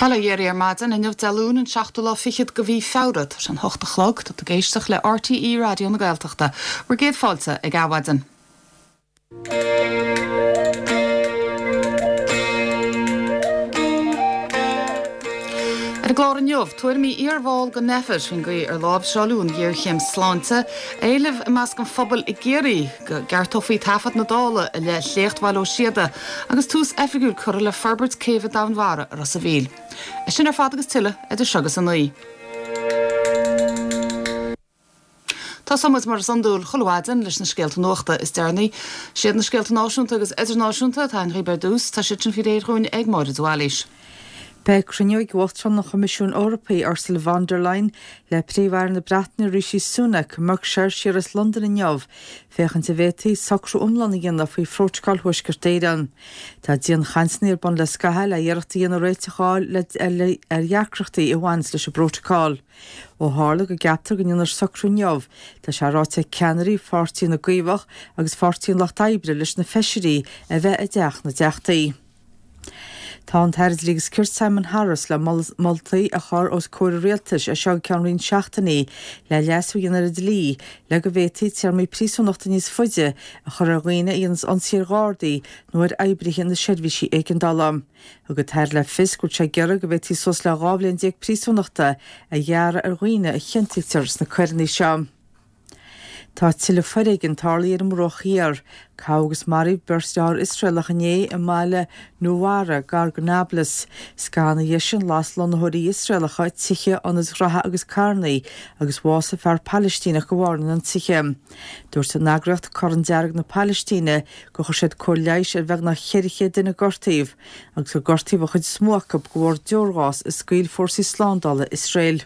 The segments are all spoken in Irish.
Bail ó Dhia oraibh ar maidin inniu Dé Luain an seachtú lá fichead de mhí Feabhra. Tá sé an hocht a chlog. Tá tú ag éisteacht le RTÉ Raidió na Gaeltachta. Bhur gcéad fáilte ag Adhmhaidin. Ar an gclár inniu, tuairimí iarbhall den Nphet faoin gcaoi ar láimhseáileadh an ghéarchéim sláinte, éileamh i measc an phobail i gCiarraí go gceartófaí taifead na Dála i leith Shléacht Bhaile Ó Síoda agus tús oifigiúil curtha le forbairt céibhe Domhainmhara i Ros a' Mhíl. É sin ar fad agus tuilleadh idir seo agus a 9. Tosóidh muid mar is iondúil chuile mhaidin leis na scéalta nuachta is deireanaí. Siad na scéalta náisiúnta agus idirnáisiúnta atá againn dhaoibh ar dtús. Tá siad sin faoi réir dhúinn ag Máire de Bhailís. Beidh cruinniú ag Uachtarán an Choimisiúin Eorpaigh, Ursula von der Leyen, le Príomh-Aire na Breataine Rishi Sunak i mBerkshire siar as Londain inniu féachaint an bhféadfaí socrú iomlán a dhéanamh faoi Phrótacal Thuaisceart Éireann. Tá dianchainteanna ar bun le scaitheamh le iarracht a dhéanamh réiteach a fháil ar dheacrachtaí a bhaineas leis an bprótacal. Ó tharla go gceaptar go ndéanfar socrú inniu, tá sé ráite ag ceannairí Pháirtí na gCaomhach agus Pháirtí an Lucht Oibre leis na feisirí a bheith i dTeach na dTeachtaí. Tá an tAire Dlí agus Cirt Simon Harris le moltaí a chur os comhair an Rialtais as seo go ceann roinnt seachtainí le leasú a dhéanamh ar an dlí le go bhféadfaí téarmaí príosúnachta níos faide a chur ar dhaoine a dhéanas ionsaí ar Ghardaí nó ar oibrithe na seirbhísí éigeandála. Thug an tAire le fios go bhfuil sé ag iarraidh go bhféadfaí suas le 12 bhliain príosúnachta a ghearradh ar dhaoine a chiontaítear sna coireanna seo. Tá tuilleadh foréigin tarlaithe ar an mBruach Thiar. Gabhadh agus maraíodh beirt dearthár Iosraelach inné i mbaile Nuwara, gar go Nablus. Scaitheamh ina dhiaidh sin, las lonnaitheoirí Iosraelacha tithe, ionaid ghraithe agus carrannaí, agus bhásaigh fear Palaistíneach de bharr na n-ionsaithe. Dúirt an eagraíocht Corn Dearg na Palaistíne gur chuir siad cóir leighis ar bheagnach 400 duine a gortaíodh, agus gur gortaíodh an chuid is mó acu de bharr deorghás a scaoil fórsaí slándála Iosrael.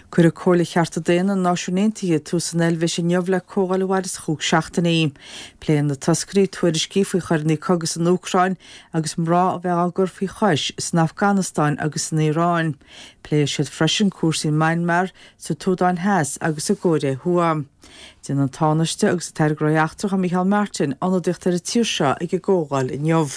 Cuirfidh Comhairle Chearta Daonna na Náisiún Aontaithe tús san Eilvéis inniu le comhdháil a mhairfeas chúig seachtainí. Pléifidh na toscairí tuairiscí faoi choireanna cogaidh san Úcráin agus mná a bheith á gcur faoi chois san Afganastáin agus san Iaráin. Pléifidh siad freisin cúrsaí in Myanmar, sa tSúdáin Theas agus i gCóiré Thuaidh. Déanfaidh an Tánaiste agus an tAire Gnóthaí Eachtracha Micheál Martin ionadaíocht ar an tír seo ag an gcomhdháil inniu.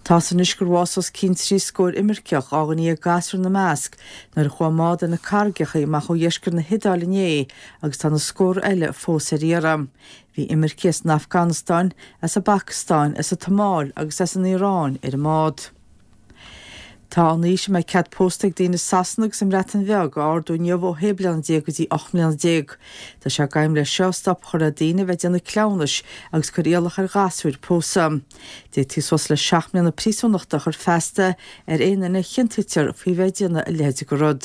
Tá's anois gur bhásaigh os cionn 30 scór imirceach, 12 dhuine gasúr ina measc, nuair a chuaigh a mbád ar na carraigeacha amach ó dheisceart na hIodáile inné agus tá na scórtha eile fós ar iarraidh. Bhí imircigh as an Afganastáin, as an bPacastáin, as an tSomáil agus as an Iaráin ar an mbád. Tá an aois a mbeidh cead pósta ag daoine i Sasana agus i mBreatain Bheag á ardú inniu ó shé bliana déag go dtí 18 mbliana. Tá sé d'aidhm leis seo stop a chur le daoine a bheith ag déanamh cleamhnais agus cur iallach ar ghasúir pósadh. D'fhéadfaí suas le 7 mbliana príosúnachta a chur feasta ar aon duine a chiontaítear faoi bheith ag déanamh a leithéid de rud.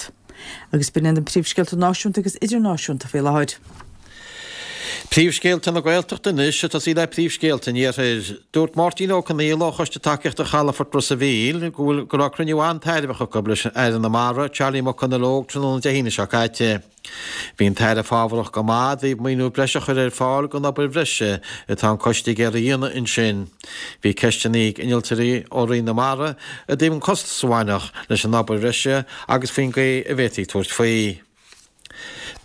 Agus b'in iad na príomhscéalta náisiúnta agus idirnáisiúnta faoi láthair. Príomhscéalta na Gaeltachta anois, ag tosaí le príomhscéalta an Iarthair. Dúirt Máirtín Ó Conghaile ó Choiste Tacaíochta Chalafort Ros a' Mhíl go bhfuil go raibh cruinniú an-tairbheach acu leis an Aire na Mara, Charlie McConalogue tráthnóna Dé hAoine seo caite. Bhí an tAire fábharach go maith i dtaobh maoiniú breise a chur ar fáil don obair bhreise atá an coiste ag iarraidh a dhéanamh ansin. Bhí ceisteanna ag innealtóirí ó Roinn na Mara i dtaobh an costas a bhainfeadh leis an obair bhreise agus faoin gcaoi a bhféadfaí tabhairt faoi.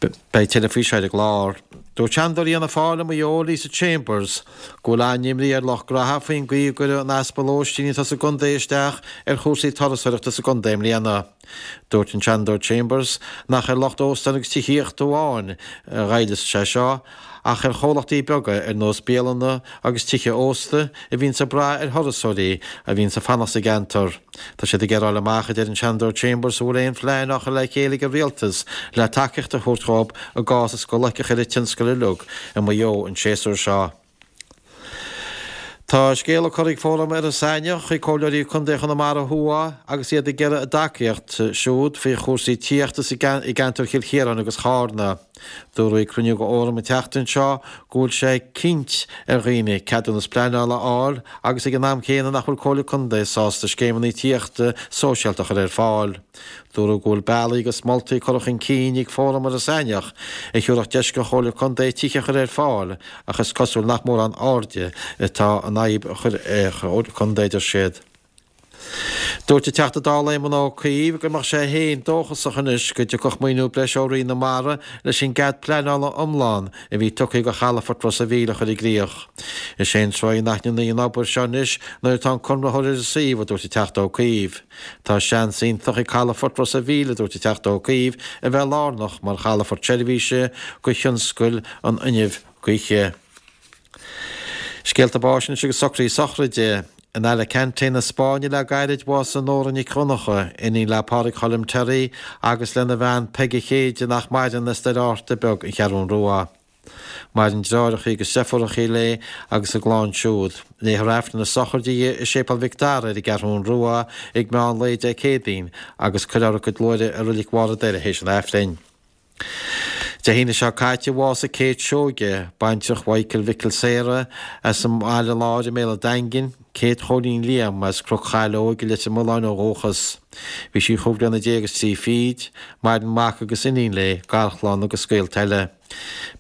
Beidh tuilleadh faoi seo ar an gclár. Dúirt Seanadóir Fhianna Fáil i Maigh Eo, Lisa Chambers, go bhfuil an-imní ar lucht graithe faoin gcaoi a gcuireadh an easpa lóistín atá sa gcontae isteach ar chúrsaí turasóireachta sa gcontae i mbliana. Dúirt an Seanadóir Chambers nach ar lucht óstán agus tithíochta amháin a ghoillfeas sé seo ach ar chomhlachtaí beaga ar nós bialanna agus tithe ósta a bhíonns ag brath ar thurasóirí a bhíonns ag fanacht sa gceantar. Tá siad ag iarraidh a fháil amach, a deir an Seanadóir Chambers, an bhfuil aon phlean á chur le chéile ag an Rialtas le tacaíocht a thabhairt dhóibh i gcás is go loicfeadh ar an tionscal uilig i Maigh Eo an séasúr seo. Tá scéala curtha ag Fóram Iorras Aithneach chuig Comhairleoirí Contae Chonamara Thuaidh agus iad ag iarraidh a dtacaíocht siúd faoi chúrsaí tithíochta i gceantar Chill Chiaráin agus Chárna. Dúradh ag cruinniú den Fhóram an tseachtain seo go bhfuil sé cinnt ar dhaoine ceadúnas pleanála a fháil agus ag an am céanna nach bhfuil Comhairle Contae sásta scéimeanna tithíochta sóisialta a chur ar fáil. Dúradh go bhfuil bealaí agus moltaí curtha chun cinn ag Fóram Iorras Aithneach a thabharfadh deis don Chomhairle Contae tithe a chur ar fáil ach is cosúil nach mórán airde atá an fhadhb a chur ar an Chomhairle Contae, a deir siad. Dúirt an Teachta Dála Éamon Ó Cuív go mbeadh sé féin dóchasach anois go dtiocfadh maoiniú breise ó Roinn na Mara leis an gcead pleanála iomlán a bhí tugtha do chalafort Ros a' Mhíl a chur i gcrích. Is é an tráth inaithne an obair seo anois nuair atá an conraitheoir ar an suíomh, a dúirt an Teachta Ó Cuív. Tá seans iontach ag calafort Ros a' Mhíl, a dúirt an Teachta Ó Cuív, a bheith lárnach mar chalafort seirbhíse do thionscal an fhuinnimh gaoithe. Scéalta báis anois agus socruithe sochraide. In Alicante na Spáinne le gairid bhásaigh Nóra Nic Dhonncha, iníon le Pádraig Choilm Terry agus lena bhean Peige Chéide nach maireann as Doire Fhatharta Beag An Cheathrún Rua. Maireann deartháireacha agus deirfiúracha léi agus a gclann siúd. Léifear Aifreann na sochraide di i Séipéal Mhic Dara ar an gCeathrún Rua ag meán lae Dé Céadaoin agus cuirfear a cuid luaithre i Reilig Bharr an Doire théis an Aifrinn. Dé hAoine seo caite bhásaigh Kate Seoige, baintreach Mhichael Mhicil Sarah as an mBaile Láir i mBéal an Daingin, Kate Chóilín Liam as Cnoc Chaileoig i Leitir Mealláin ó dhúchas. Bhí sí chúig bliana déag is trí fichid, maireann mac agus iníon léi, garchlann agus gaolta eile.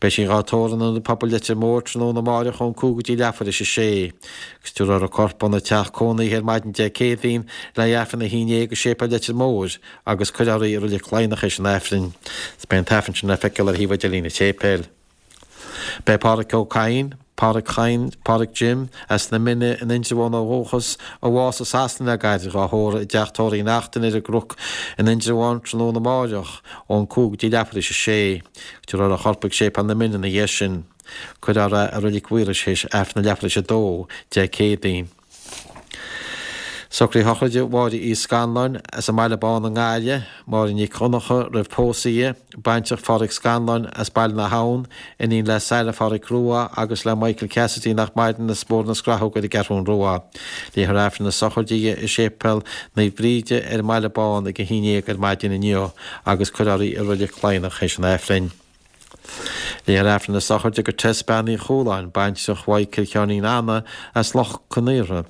Beidh sí dhá tórramh in Ionad Pobail Leitir Móir tráthnóna amáireach ón 5 go dtí leathuair théis a sé. Agus tabharfar a corp óna teach cónaithe ar maidin Dé Céadaoin le haghaidh Aifreann a haon dhéag i Séipéal Leitir Móir agus cuirfear í i Reilig Laighneach théis an Aifrinn. Is beidh an t-Aifreann sin le feiceáil ar shuíomh idirlín an tséipéil. Beidh Pádhraic Ó Cadhain, Pádhraic Chadhain, Pádhraic Jim, as na Mine in Indreabhán ó dhúchas, a bhásaigh i Sasana le gairid, dhá thórramh i dteach tórraimh Uí Neachtain ar an gCnoc in Indreabhán tráthnóna amáireach ón 5 go dtí leathuair théis a sé. Tabharfar a chorp chuig Séipéal na Mine ina dhiaidh sin. Cuirfear é i Reilig Mhaorais théis Aifreann a leathuair théis a dó Dé Céadaoin. Socruithe sochraide Mháire Uí Scanláin as an mBaile Bán i nGaillimh, Máire Nic Dhonncha roimh pósadh di, baintreach Phádhraic Scanláin as Baile na hAbhann, iníon le Sarah Phádhraic Rua agus le Michael Cassidy nach maireann as Bóthar na Scrathóg ar an gCeathrún Rua. Léifear Aifreann na sochraide di i Séipéal Naomh Bríde ar an mBaile Bán ag a haon dhéag ar maidin inniu agus cuirfear í i Reilig Laighneach théis an Aifrinn. Léifear Aifreann na sochraide do Tess Bean Uí Chualáin, baintreach Mhichael Sheáinín Anna as Loch Con Aortha.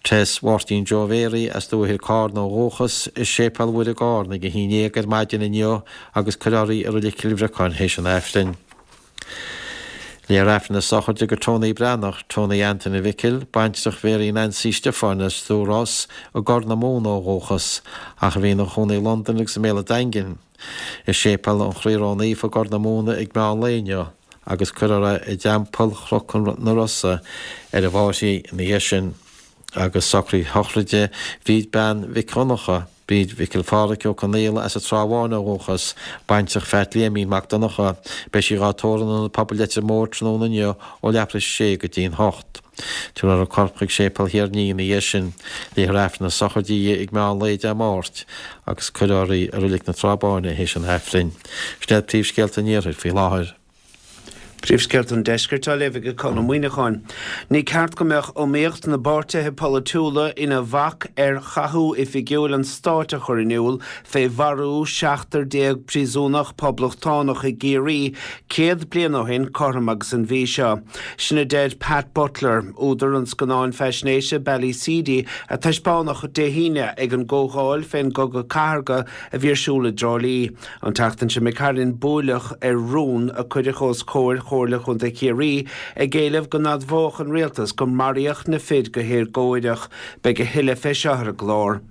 Tess Mháirtín Joe Mhéaraí as Dúiche Chairn ó dhúchas, i Séipéal Mhuire i gCárna ag a haon dhéag ar maidin inniu agus cuirfear í i Reilig Chill Bhriocáin théis an Aifrinn. Léifear Aifreann na sochraide do Tony Breathnach, Tony Antaine Mhicil, baintreach Mhéaraí Nancy Stiofáin as Dúros i gCorr na Móna ó dhúchas, ach a bhí ina chónaí i Londain agus i mBéal an Daingin. I Séipéal an Chroí Ró-Naofa i gCorr na Móna ag meán lae inniu agus cuirfear é i dTeampall Chnoc na Rosa ar an bhFairche ina dhiaidh sin. Agus socruithe sochraide Bhríd Bean Mhic Dhonncha, Bríd Mhicil Phádhraic Ó Conaola as an Trá Bháin ó dhúchas, baintreach Pheait Liaimín Mac Donncha, beidh sí dhá tórramh in Ionad Pobail Leitir Móir tráthnóna inniu ó leathuair théis a sé go dtí'n hocht. Tabharfar a corp chuig Séipéal Thír an Fhia ina dhiaidh sin. Léifear Aifreann na sochraide di ag meán lae Dé Máirt agus cuirfear í i Reilig na Trá Báine théis an Aifrinn. Sin iad príomhscéalta an Iarthair faoi láthair. Príomhscéalta an Deiscirt á léamh ag Conn Ó Muíneacháin. Ní ceart go mbeadh iomaíocht na bpáirtithe polaitiúla ina bhac ar chathú oifigiúil an stáit a chur in iúl fé mharú 17 príosúnach poblachtánach i gCiarraí 100 bliain ó shin cothrom agus an mhí seo. Sin a deir Pat Butler, údar an scannáin faisnéise Ballyseedy a taispeánadh Dé hAoine ag an gcomhdháil fén gCogadh Cathartha a bhí ar siúl i dTrá Lí. An tseachtain seo imigh tharainn buaileadh ar rún a cuireadh os comhair Chomhairle Chontae Chiarraí ag éileamh go n-admhódh an rialtas gur maraíodh na fir go héagóireach. Beidh a thuilleadh fé seo ar an gclár.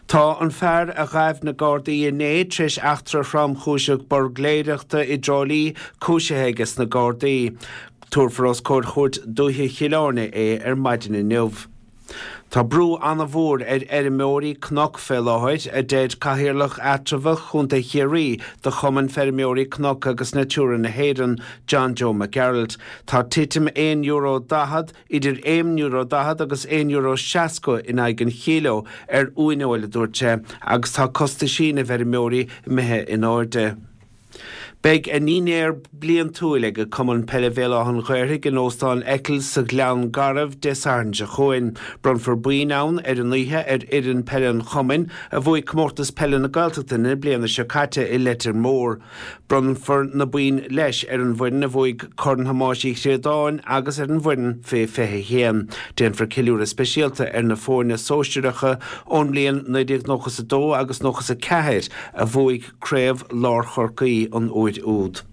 Tá an fear a ghaibh na Gardaí inné tar éis eachtra thromchúiseach buirgléireachta i dTrá Lí cúisithe aige sna Gardaí. Tabharfar os comhair Chúirt Dúiche Chill Airne é ar maidin inniu. Tá brú an-mhór ar fheirmeoirí cnoc fé láthair, a deir Cathaoirleach Eatramhach Chontae Chiarraí de Chumann Feirmeoirí Cnoc agus Natura na hÉireann, John Joe Mac Gearailt. Tá titim €1.40 idir €1.40 agus €1.60 in aghaidh an chíleo ar uaineoil, a dúirt sé, agus tá costaisí na bhfeirmeoirí imithe in airde. Beidh a ndinnéar bliantúil ag Cumann Peile Bhéal Átha an Ghaorthaidh in Óstán Eccles sa Ghleann Garbh Dé Sathairn seo chugainn. Bronnfar boinn ann ar an oíche ar fhoireann peile an chumainn a bhuaigh Comórtas Peile na Gaeltachta na bliana seo caite i Leitir Móir. Bronnfar na boinn leis ar an bhfoireann a bhuaigh Corn Thomáis Uí Chríodáin agus ar an bhfoireann fé 21. Déanfar ceiliúradh speisialta ar na foirne sóisearacha ón mbliain 1992 agus 94 a bhuaigh Craobh Lár Chorcaí an uair úd.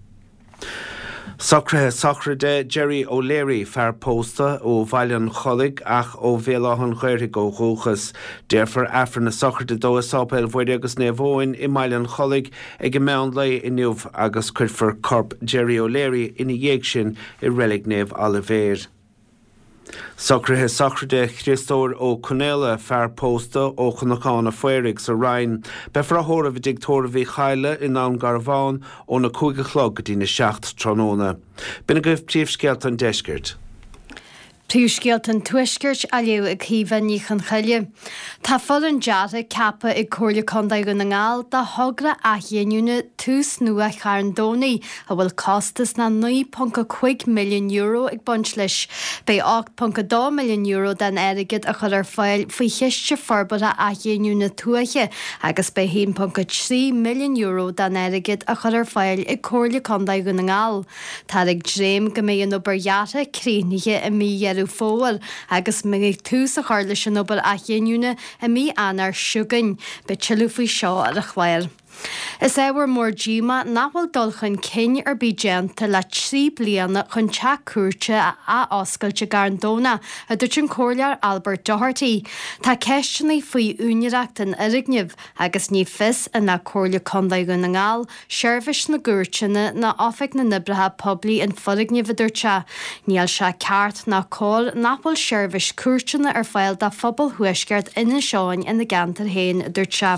Socruithe sochraide Gerry O'Leary, fear pósta ó Bhaile an Chollaigh ach ó Bhéal Átha an Ghaorthaidh ó dhúchas. Déarfar Aifreann na sochraide dó i Sáipéal Mhuire agus Naomh Eoin i mBaile an Chollaigh ag an meán lae inniu agus cuirfear corp Gerry O'Leary ina dhiaidh sin i Reilig Naomh Oilibhéir. Socruithe sochraide Chriostóir Ó Conaola, fear pósta ó Chnocán a' Phaoraigh sa Rinn. Beifear á thórramh i dTigh Tórraimh Uí Chadhla i nDún Garbhán óna 5 a chlog go dtína 7 tráthnóna. B'in agaibh príomhscéalta an deiscirt. Príomhscéalta an Tuaiscirt á léamh ag Caoimhe Ní Chonchoille. Tá foireann deartha ceaptha ag Comhairle Contae Dhún na nGall do thogra athghiniúna Tús Nua Charn Domhnaigh a bhfuil costas ná €9.5 milliún ag baint leis. Beidh €8.2 milliún den airgead á chur ar fáil faoi Chiste Forbartha Athghiniúna Tuaithe agus beidh €1.3 milliún den airgead á chur ar fáil ag Comhairle Contae Dhún na nGall. Táthar ag dréim go mbeidh an obair dheartha críochnaithe i mí Dheireadh Fómhair agus go mbeidh tús á chur leis an obair athghiniúna i mí Eanáir seo chugainn. Beidh tuilleadh faoi seo ar an chlár. Is ábhar mór díomá nach bhfuil dul chun cinn ar bith déanta le 3 bliana chun teach cúirte a athoscailt i gCarn Domhnach, a dúirt an Comhairleoir Albert Doherty. Tá ceisteanna faoi úinéireacht an fhoirgnimh agus ní fios an le Comhairle Contae Dhún na nGall, Seirbhís na gCúirteanna ná Oifig na nOibreacha Poiblí an foirgneamh, a dúirt sé. Níl sé ceart ná cóir nach bhfuil seirbhís cúirteanna ar fáil do phobal thuaisceart Inis Eoghain ina gceantar féin, a dúirt sé.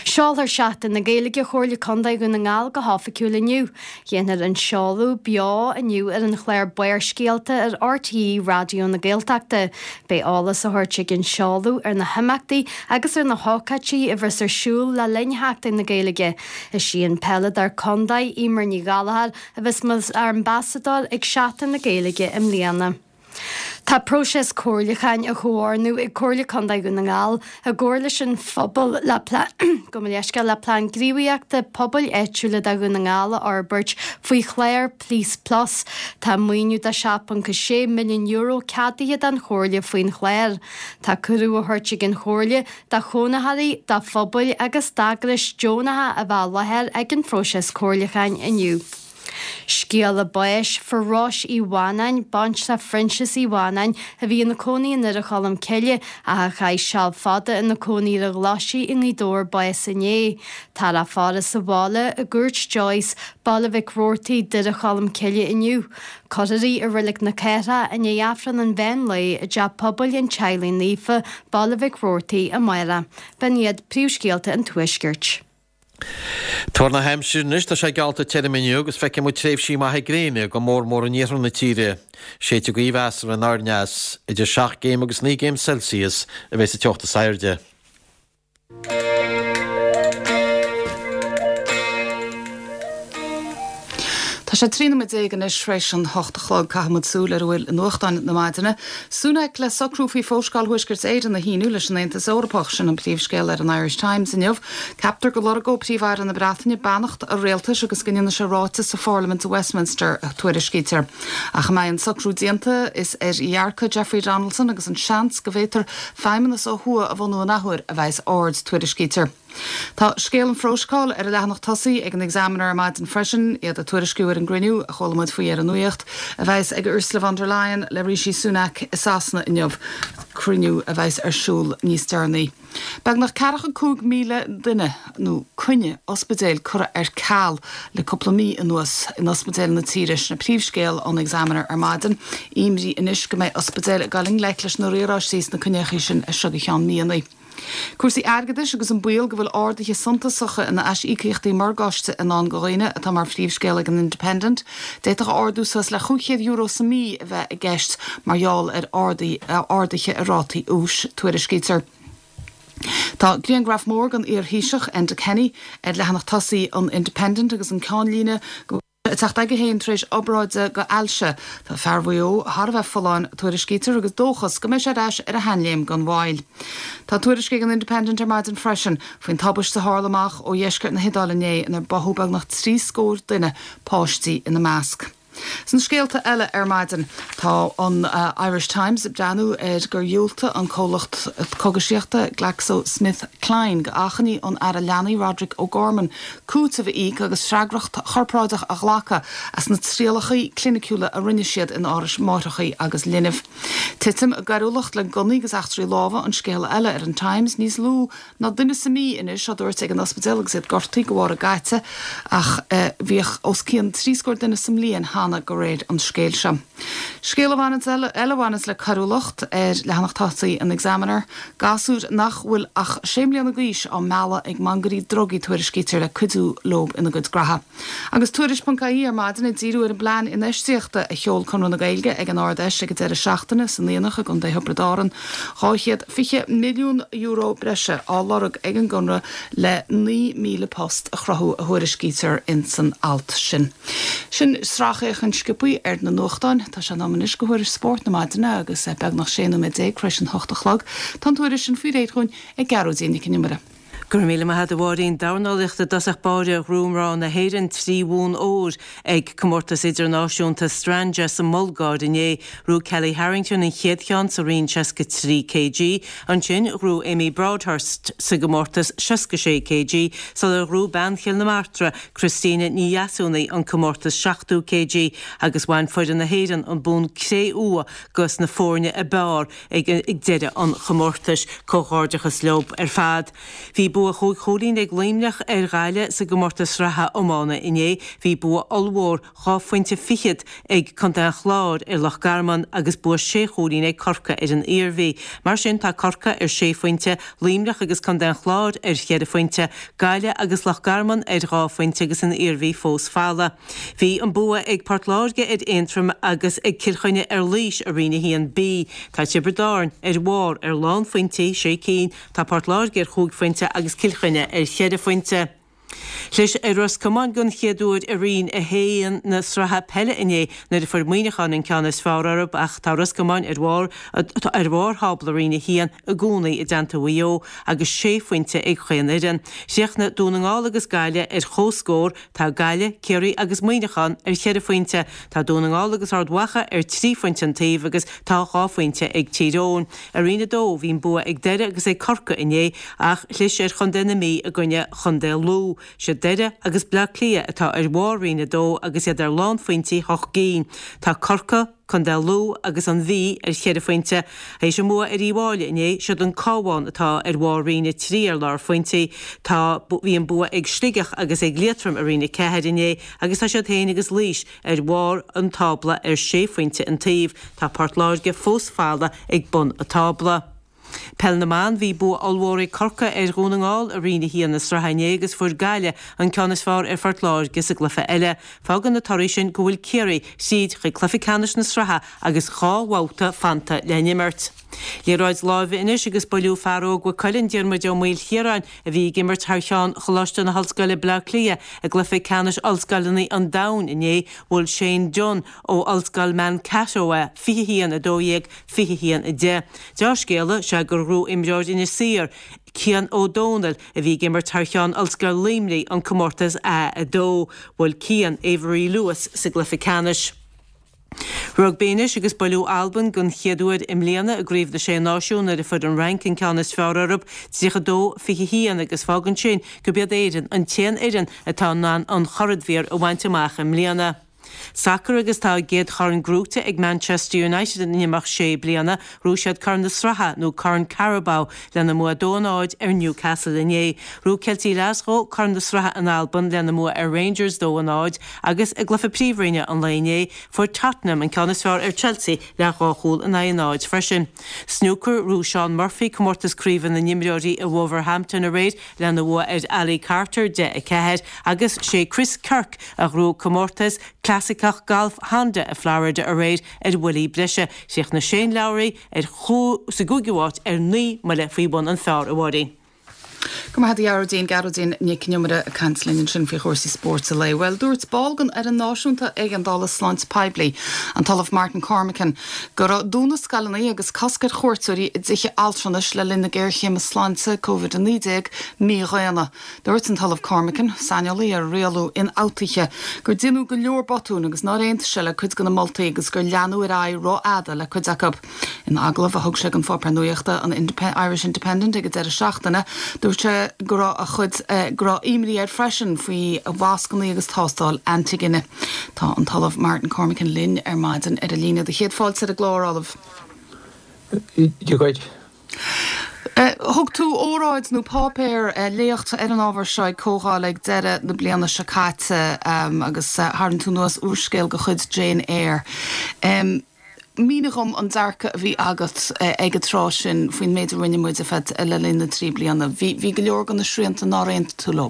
Seolfar Seachtain na Gaeilge Chomhairle Contae Dhún na nGall go hoifigiúil inniu. Déanfar an seoladh beo inniu ar an chlár Barrscéalta ar RTÉ Raidió na Gaeltachta. Beidh eolas á thabhairt ag an seoladh ar na himeachtaí agus ar na hócáidí a bheas ar siúl le linn Sheachtain na Gaeilge. Is í an peileadóir contae, Eimear Ní Ghallchóir, a bheas mar ambasadóir ag Seachtain na Gaeilge i mbliana. Tá próiseas comhairliúcháin á chomhordú ag Comhairle Contae Dhún na nGall i gcomhar leis an phobal le gabh mo leithscéal le Plean Gníomhaíochta Pobail Áitiúla do Dhún na nGall a fhorbairt faoi chlár Police Plus. Tá maoiniú de €7.6 milliún ceadaithe don Chomhairle faoin chlár. Tá cuireadh á thabhairt ag an Chomhairle do chónaitheoirí, do phobail agus d'eagrais deonacha a bheith i láthair ag an phróiseas comhairliúcháin inniu. Scéala báis fuair Róis Uí Mhanáin, baintreach Phroinsias Uí Mhanáin, a bhí ina cónaí i nDoire Cholm Cille ach a chaith seal fada ina cónaí ar an Ghlaisigh i nGaoth Dobhair bás inné. Táthar á faire sa bhaile i gCúirt Joyce, Baile Mhic Roartaigh, Doire Cholm Cille inniu. Cuirfear í i Reilig na Cathrach i ndiaidh Aifreann an mheán lae i dTeach Pobail an Teaghlaigh Naofa, Baile Mhic Roartaigh, amárach. B'in iad príomhscéalta an Tuaiscirt. Tuar na haimsire anois, tá sé geallta tirim inniu agus feicfidh muid tréimhsí maithe gréine, go mór mór in iarthar na tíre. Séidfidh gaoth mheasartha anoir aneas. Idir 7 gcéim agus 9 gcéim Celsius a bheidh sa teocht is airde. Tá sé 13 nóiméad anois tar éis an hocht a chlog. Caithfidh muid súil ar a bhfuil i nuachtáin na maidine. Sunak le socrú faoi Phróiseáil Thuaisceart Éireann a shíniú leis an Aontas Eorpach, sin an príomhscéal ar an Irish Times inniu. Ceaptar go lorgóidh Príomh-Aire na Breataine beannacht a rialtais agus go ndéanfaidh sé ráiteas sa pharlaimint i Westminster, a tuairiscítear. Ach a mbeidh an socrú déanta, is ar dhearcadh Jeffrey Donaldson agus an seans go bhféadfar feidhmeannas ó thuaidh a bhunú an athuair a bheas aird, tuairiscítear. Tá scéal an Phróiseáil ar an leathanach tosaigh ag an Examiner ar maidin freisin, iad ag tuairisciú ar an gcruinniú, a chuala muid faoi ar an nuacht, a bheas ag Ursula von der Leyen le Rishi Sunak i Sasana inniu, cruinniú a bheas ar siúl níos deireanaí. Beagnach 45,000 duine, nó coinne ospidéil curtha ar ceal le cúpla mí anuas in ospidéil na tíre, sin an príomhscéal ón Examiner ar maidin. Imní anois go mbeidh ospidéil ag dul i ngleic leis na riaráistí sna coinneachaí sin as seo go ceann míonna. Cúrsaí airgeadais agus an baol go bhfuil arduithe suntasacha in aisíocaíochtaí morgáiste i ndán do dhaoine atá mar phríomhscéal ag an Independent. D'fhéadfadh ardú suas le €500 sa mí a bheith i gceist mar gheall ar arduithe i rátaí úis, tuairiscítear. Tá grianghraf mór den iar-Thaoiseach, Enda Kenny, ar leathanach tosaigh an Independent agus an ceannlíne go. ag teacht aige féin tar éis obráide go ailse. Tá fear Mhaigh Eo thar a bheith folláin, tuairiscítear, agus dóchas go mbeidh sé ar ais ar a sheanléim gan mhoill. Tá tuairisc ag an Independent ar maidin freisin faoin tubaiste a tharla amach ó dheisceart na hIodáile inné inar báthadh beagnach 30 scór duine, páistí ina measc. Sna scéalta eile ar maidin, tá an Irish Times ag breathnú ar gur dhiúltaigh an comhlacht cogaisíochta Glaxo Smith Kline go achainí ón Aire Leanaí Roderic O'Gorman cúiteamh a íoc agus freagracht chorparáideach a ghlacadh as na trialacha cliniciúla a rinne siad in árais máithreacha agus linbh. Titim i gcoiriúlacht le gunnaí agus eachtraí láimhe an scéal eile ar an Times, níos lú ná duine sa mí anois á dtabhairt ag an ospidéal agus iad gortaithe de bharr a gcaite ach bhíodh os cionn trí scór duine sa mbliain cheana de réir an scéil seo. Scéal a bhaineanns eile a bhaineanns le coiriúlacht ar leathanach tosaigh an Examiner, gasúir nach bhfuil ach sé mbliana d'aois á mealladh ag mangairí drugaí tuairiscítear le cuidiú leo ina gcuid graithe. Agus Tuairisc.ie ar maidin ag díriú ar an bplean infheistíochta a sheol Conradh na Gaeilge ag an Ard-Fheis ag an deireadh seachtaine san Aonach i gContae Thiobraid Árann. €220 milliún breise á lorg ag an gConradh le 9,000 post a chruthú a thuairiscítear ins an alt sin. Sin sracfhéachaint sciobthaí ar na nuachtáin. Tá sé in am anois go thuairisc spóirt na maidine agus é beagnach 16 nóiméad tar éis an hocht a chlog. Tá an tuairisc sin faoi réir dhúinn ag Gearóidín Nic an Iomaire. Go raibh míle maith agat a Mháirín. Dornálaíocht i dtosach báire ghnóthaigh mná na hÉireann 3 bhonn óir ag Comórtas Idirnáisiúnta Strandja sa mBulgáir inné. Ghnóthaigh Kellie Harrington an chéad cheann sa roinn 63 kg. Ansin ghnóthaigh Amy Broadhurst sa gcomórtas 66 kg sular ghnóthaigh bean Chill na Martra, Christina Ní Dheasúnaigh an comórtas 70 kg agus bhain foireann na hÉireann an bonn cré-umha dos na foirne ab fhearr ag deireadh an chomórtais. Comhghairdeachas leo ar fad. Bhí bua chúig chúilín ag Luimneach ar Ghaillimh sa gcomórtas sraithe iomána inné. Bhí bua ollmhór, dhá phointe fichead, ag Contae an Chláir ar Loch Garman agus bua sé chúilín ag Corcaigh ar an Iarmhí. Mar sin tá Corcaigh ar sé phointe, Luimneach agus Contae an Chláir ar cheithre phointe, Gaillimh agus Loch Garman ar dhá phointe agus an Iarmhí fós folamh. Bhí an bua ag Port Láirge ar Aontroim agus ag Cill Chainnigh ar Laois i Roinn 1B. Tá Tiobraid Árann ar bharr ar lánphointí, sé cinn, tá Port Láirge ar chúig phointe agus Cill Chainnigh ar cheithre phointe. Chlis ar Ros Comáin den chéad uair i Roinn 1 na sraithe peile inné nuair a fuair Muineachán an ceann is fearr orthu ach tá Ros Comáin ar bharr ar bharr thábla Roinn 1 i gcónaí i dteannta Mhaigh Eo agus sé phointe ag chaon fhoireann. Chríochnaigh Dún na nGall agus Gaillimh ar comhscór Tá Gaillimh, Ciarraí agus Muineachán ar cheithre phointe, tá Dún na nGall agus Ard Mhacha ar thrí phointe an taobh agus tá dhá phointe ag Tír Eoghain. I Roinn 2, bhí an bua ag Doire agus ag Corcaigh inné ach chlis ar Chontae na Mí i gcoinne Chontae Lú. Siad Doire agus Bleá Cliath atá ar bharr Roinn 2 agus iad ar lánphointí hocht gcinn. Tá Corcaigh, Contae Lú agus an Mhí ar cheithre phointe. Théis a mbua ar Uíbh Fhailí inné, siod an Cabhán atá ar bharr Roinn 3 ar lár phointí. Tá bhí an bua ag Sligeach agus ag Liatroim i Roinn 4 inné agus tá siad féin agus Laois ar bharr an tábla ar sé phointe an taobh. Tá Port Láirge fós folamh ag bun an tábla. Peil na mBan, Bhí bua ollmhór ag Corcaigh ar Dhún na nGall i Roinn 1 na sraithe inné agus fuair Gaillimh an ceann is fearr ar Phort Láirge sa gcluiche eile. Fágann na torthaí sin go bhfuil Ciarraí tríd chuig cluiche ceannais na sraithe agus dhá bhabhta fanta le n-imirt. Liathróid láimhe anois agus buaileadh fear óg Mhaigh Cuilinn, Diarmuid Ó Maoilchiaráin, a bhí ag imirt thar cheann Choláiste na hOllscoile Bleá Cliath i gcluiche ceannais ollscoileanna an domhain inné, bhuail Shane Dunne ó Ollscoil Mankato é, 21, 12, 21, 10. Deá-scéala is ea gur ghnóthaigh imreoir Inis Oírr, Cian Ó Dónaill, a bhí ag imirt thar cheann Ollscoil Luimnigh, an comórtas A2. Bhuail Cian Avery Lewis sa gcluiche ceannais. Rugbaí anois agus buaileadh Albain den chéad uair i mbliana i gCraobh na Sé Náisiún nuair a fuair an Fhrainc an ceann is fearr orthu, 32, 21, agus fágann sin gurb iad Éirinn an t-aon fhoireann atá in ann an churadhmhír a bhaint amach i mbliana. Sacar agus tá a gcéad chorn gnóite ag Manchester United in imeacht sé bliana. Ghnóthaigh siad Corn na Sraithe, nó Corn Carabao, lena mbua 2-0 ar Newcastle inné. Ghnóthaigh Ceiltigh Ghlaschú Corn na Sraithe in Albain lena mbua ar Rangers 2-0 agus i gcluiche Príomhroinne an lae inné, fuair Tottenham an ceann is fearr ar Chelsea le dhá chúl in aghaidh a náid freisin. Snúcar, Ghnóthaigh Shaun Murphy comórtas craoibhe na n-imreoirí i Wolverhampton aréir lena bhua ar Ali Carter, 10, 4, agus sé Chris Kirk a ghnóthaigh comórtas clasaiceach gailf Honda i Florida aréir ar bhuillí breise. Chríochnaigh Shane Lowry ar sa gcúigiú háit ar 9 mbuille faoi bhun an phar, a Mháirín. Go raibh maith agat a Ghearóidín, Gearóidín Nic an Iomaire ag caint linn ansin faoi chúrsaí spóirt an lae. Bhuel, dúirt ball den Fhoireann Náisiúnta Éigeandála Sláinte Poiblí, an tOllamh Martin Cormican, go raibh dúnadh scoileanna agus cosc ar chuairteoirí i dtithe altranais le linn na géarchéime sláinte Covid-19 mídhaonna. Dúirt an tOllamh Cormican, saineolaí ar rialú ionfhabhtuithe, gur déanadh go leor botún agus nár aontaigh sé le cuid de na moltaí agus gur leanadh ar aghaidh rófhada le cuid acu. In agallamh a thug sé don pháipéar nuachta an Irish Independent ag an deireadh seachtaine, dúirt sé go raibh a chuid go raibh imní air freisin faoi mhascanna agus tástáil antigine. Tá an tOllamh Martin Cormican linn ar maidin ar an líne. Do chéad fáilte ar an gclár, a Ollaimh. Dia dhuit. Thug tú óráid nó páipéar, léacht ar an ábhar seo ag comhdháil ag deireadh na bliana seo caite agus tharraing tú anuas úrscéal de chuid Jane Eyre. Mínigh dhom an dearcadh a bhí agat ag an tráth sin faoin méid a rinne muid ar feadh le linn na dtrí bliana. Bhí bhí go leor de na srianta nár aontaigh tú leo.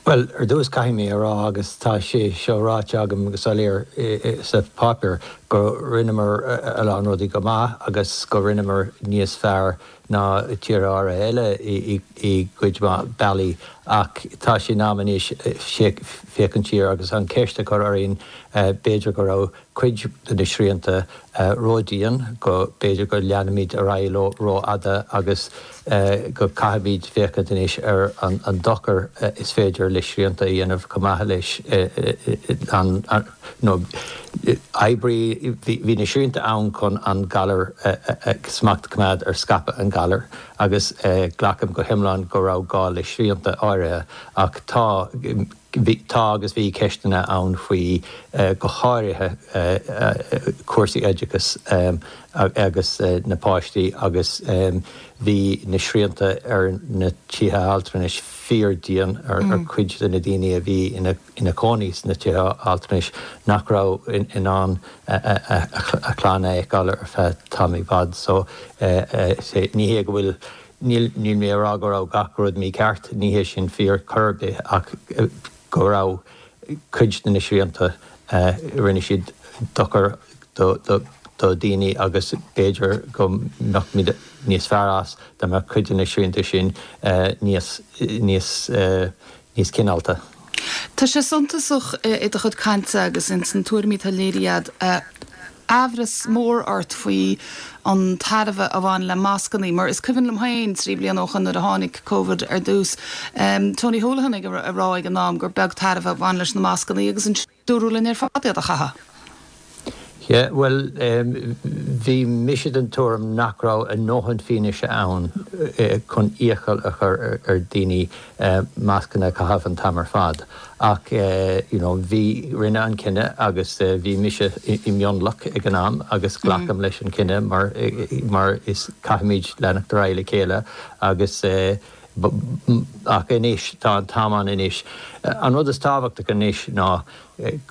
Bhuel, ar dtús caithfidh mé a rá, agus tá sé seo ráite agam go soiléir sa pháipéar, go rinneamar a lán rudaí go maith agus go rinneamar níos fearr ná tíortha áirithe eile i gcuid mhaith bealaí ach tá sé in am anois féachaint siar agus an cheist a chur orainn, b'fhéidir go raibh cuid de na srianta ródhian, go b'fhéidir go leanaimid ar aghaidh leo rófhada agus go caithfimid féachaint anois ar an dochar is féidir le srianta a dhéanamh chomh maith leis an nó oibrí. Bhí na srianta ann chun an galar smacht a choimeád ar scaipeadh an ghalair agus glacaim go hiomlán go raibh gá le srianta áirithe ach tá Bhí, tá agus bhí ceisteanna ann faoi, go háirithe cúrsaí oideachais agus na páistí agus bhí na srianta ar na tithe altranais fíor-dian ar chuid de na daoine a bhí ina cónaí sna tithe altranais nach raibh in ann a chlann a fheiceáil ar feadh tamaill i bhfad. So ní hé go bhfuil Níl mé ag rá go raibh gach rud mícheart, ní hé sin fíor chor ar bith, ach go raibh cuid de na srianta, rinne siad dochar do dhaoine agus b'fhéidir go mbeadh muid níos fearr as dá mbeadh cuid de na srianta sin níos, níos, níos cineálta. Tá sé suntasach i do chuid cainte agus ins na tuairimí atá léirithe agat, aimhreas mór ort faoi an tairbhe a bhain le mascannaí, mar is cuimhin liom féin, 3 bliana ó shoin nuair a tháinig Covid ar dtús, Tony Holohan ag rá ag an am gur beag tairbhe a bhain leis na mascannaí agus ansin dúradh linn ar fad iad a chaitheamh. Yeah, bhuel, bhí mise den tuairim nach raibh a ndóthain fianaise ann chun iachall a chur ar dhaoine mascanna a chaitheamh an t-am ar fad. Ach, you know, bhí, rinneadh an cinneadh agus bhí mise i mionlach ag an am agus glacaim leis an cinneadh mar, mar is caithfimid leanacht ar aghaidh le chéile agus ach anois, tá an t-am ann anois. An rud is tábhachtach anois ná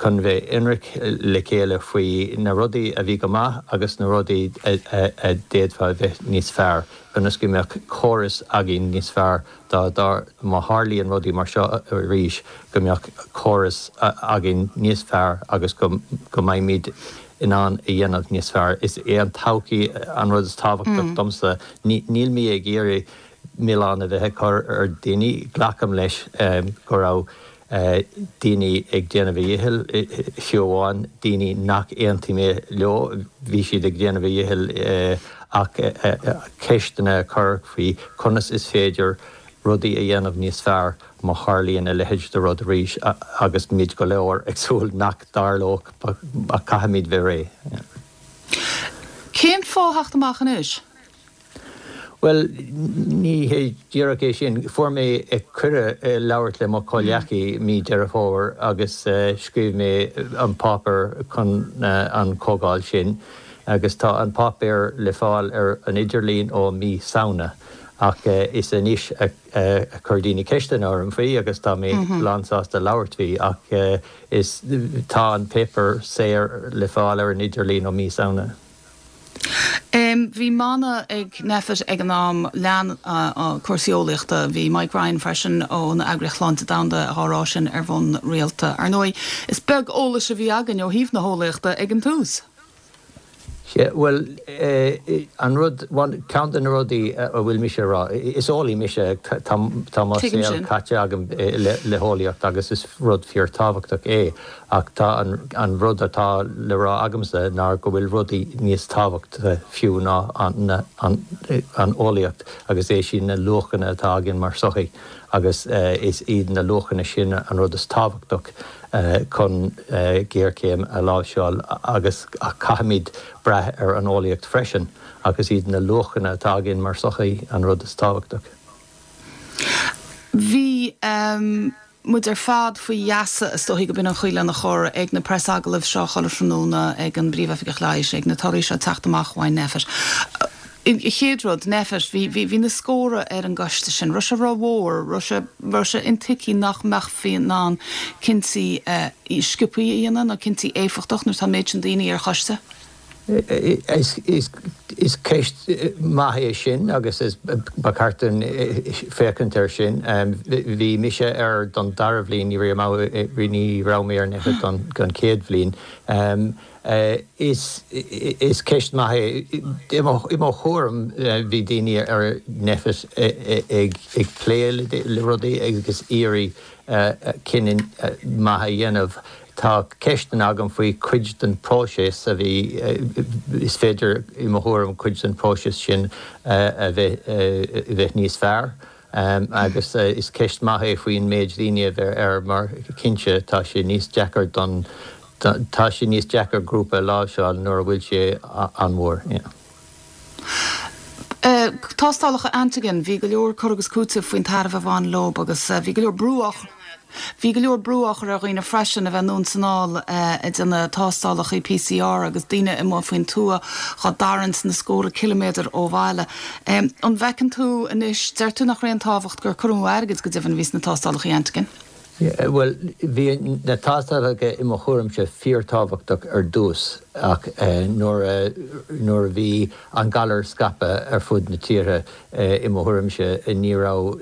chun bheith ionraic le chéile faoi na rudaí a bhí go maith agus na rudaí a d'fhéadfadh a bheith níos fearr, ionas go mbeadh córas againn níos fearr dá, dá, má tharlaíonn rudaí mar seo arís, go mbeadh córas againn níos fearr agus go, go mbeimid in ann a dhéanamh níos fearr. Is é an todhchaí an rud is tábhachtach domsa. Ní, níl mé ag iarraidh milleán a bheith ag cur ar daoine, glacaim leis go raibh daoine ag déanamh a dhichill, fiú amháin daoine nach aontaím leo, bhí siad ag déanamh a dhichill ach ceisteanna a chur faoi conas is féidir rudaí a dhéanamh níos fearr má tharlaíonn a leithéid de rud arís agus muid go léir ag súil nach dtarlódh ach caithfimid bheith réidh. Cén fáth theacht amach anois? Bhuel, ní hé díreach é sin. Fuair mé cuireadh labhairt le mo chomhghleacaí mí Deireadh Fómhair agus scríobh mé an páipéar chun an chomhdháil sin agus tá an páipéar le fáil ar an idirlíon ó mí Samhna ach is anois a chuir daoine ceisteanna orm faoi agus tá mé lánsásta labhairt faoi ach is tá an páipéar saor le fáil ar an idirlíon ó mí Samhna. Bhí mana ag Nphet ag an am, lean cúrsaí eolaíochta. Bhí Mike Ryan freisin ón Eagraíocht Shláinte Domhanda á rá sin ar bhonn rialta. Ar ndóigh, is beag eolais a bhí againn ó thaobh na heolaíochta ag an tús. Sea, bhuel, an rud, ceann de na rudaí a bhfuil mise a rá, is eolaí mise, tá mo saol caite agam le heolaíocht agus is rud fíorthábhachtach é, ach tá an rud atá le rá agamsa ná go bhfuil rudaí níos tábhachtaí fiú ná an eolaíocht agus é sin na luachanna atá againn mar sochaí agus is iad na luachanna sin an rud is tábhachtach. chun géarchéim a láimhseáil agus ach caithfimid brath ar an eolaíocht freisin ach is iad na luachanna atá againn mar sochaí an rud is tábhachtach. Bhí muid ar fad faoi gheasa, is dóichí go b'in an chaoi lena chur, ag na preasagallaimh seo chuile thráthnóna ag an bPríomh-Oifigeach Leighis, ag na torthaí seo ag teacht amach ó Nphet. An chéad rud, Nphet, bhí, bhí, bhí na scórtha ar an gcoiste sin. Raibh sé rómhór, raibh sé, raibh sé intuigthe nach mbeifí in ann cinntí sciobthaí a dhéanamh nó cinntí éifeachtach nuair atá an méid sin daoine ar choiste? Is, is, is ceist maith é sin agus is, ba cheart dúinn féachaint air sin. Bhí mise air don dara bhliain, ní raibh, ní raibh mé ar Nphet don, don chéad bhliain. Is ceist maith é. I mo thuairim, bhí daoine ar Nphet ag plé le rudaí agus iarraidh cinneadh maith a dhéanamh. Tá ceisteanna agam faoi chuid den próiseas a bhí, is féidir, i mo thuairim, cuid den próiseas sin a bheith níos fearr. Agus is ceist maith é faoin méid daoine a bheith air mar cinnte tá sé níos deacair don, tá sé níos deacair grúpa a láimhseáil nuair a bhfuil sé an-mhór. Tástálacha antigen, bhí go leor cur agus cúiteamh faoin tairbhe a bhain leo agus bhí go leor brú á Bhí go leor brú á chur ar dhaoine freisin a bheith anonn 's anall ag déanamh tástálacha PCR agus daoine amuigh faoin tuath dhá dtarraingt na scórtha ciliméadar ó bhaile. An bhfeiceann tú anois, deir tú nach raibh aon tábhacht gur cur amú airgid go deimhin a bhí sna tástálacha antigen? Bhuel, bhí na tástálacha i mo thuairimse fíorthábhachtach ar dtús ach nuair a nuair a bhí an galar scaipthe ar fud na tíre, I mo thuairimse, ní raibh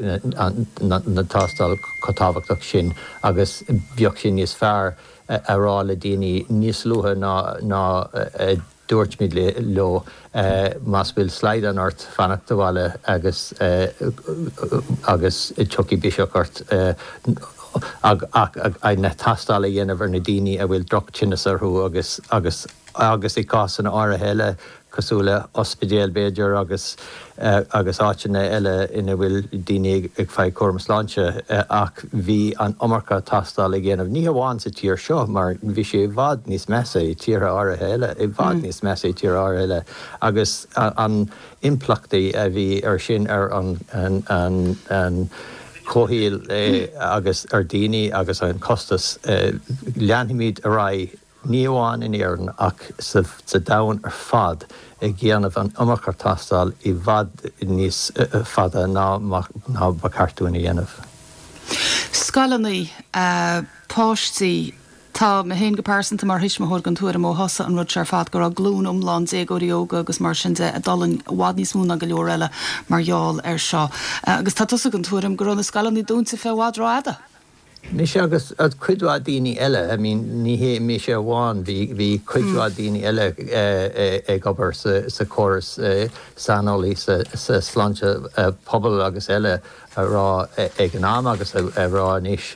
na tástáil chomh tábhachtach sin agus bheadh sé níos fearr a rá le daoine níos luaithe ná a dúirt muid leo, más bhfuil slaghdán ort, fanacht sa bhaile agus agus tiocfaidh biseach ort. Ach na tástáil a dhéanamh ar na daoine a bhfuil droch-tinneas orthu agus agus agus i gcásanna áirithe eile, cosúil le ospidéil b'fhéidir agus agus áiteanna eile ina bhfuil daoine ag fáil cúram sláinte ach bhí an iomarca tástáil a dhéanamh, ní hamháin sa tír seo mar bhí sé i bhfad níos measa i tíortha áirithe eile, i bhfad níos measa i tíortha áirithe eile agus an impleachtaí a bhí ar sin ar an an an comhshaoil agus ar daoine agus an costas. Leanfaimid ar aghaidh ní amháin in Éirinn ach sa domhan ar fad, ag déanamh an iomarca tástáil i bhfad níos fada ná ba cheart dúinn a dhéanamh. Scoileanna, páistí, tá mé féin go pearsanta mar thuismitheoir den tuairim ó thosaigh an rud seo ar fad go raibh glúin iomlán déagóirí óga agus mar sin de ag d'fhulaing i bhfad níos mó ná go leor eile mar gheall air seo. Agus tá tusa den tuairim go raibh na scoileanna dúnta fé i bhfad rófhada. Mise agus cuid mhaith daoine eile, I mean ní hé mise amháin, bhí, bhí cuid mhaith daoine eile ag obair sa chóras, saineolaí sa sláinte pobail agus eile a rá ag an am agus a rá anois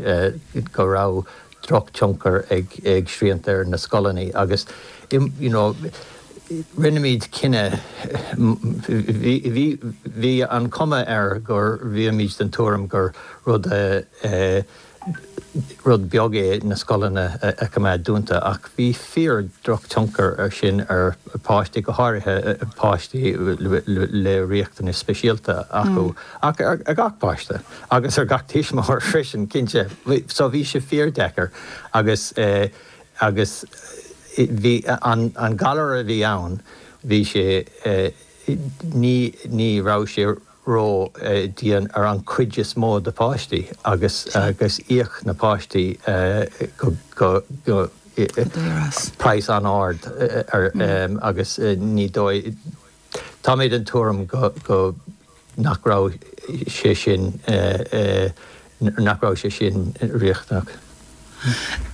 go raibh drochthionchar ag srianta ar na scoileanna agus you know rinneamid cinneadh, bhí, bhí, bhí an chuma air gur bhímid den tuairim gur rud, rud beag é na scoileanna a choimeád dúnta ach bhí fíor drochthionchar ar sin ar pháistí, go háirithe páistí le riachtanais speisialta acu ach ar gach páiste agus ar gach tuismitheoir freisin, cinnte. So bhí sé fíor-deacair agus agus bhí an galar a bhí ann, bhí sé, ní, ní raibh sé ró dian ar an chuid is mó de pháistí agus agus íoc na páistí go go go praghas an-ard ar agus ní dóigh Tá mé den tuairim go go nach raibh sé sin nach raibh sé sin riachtanach.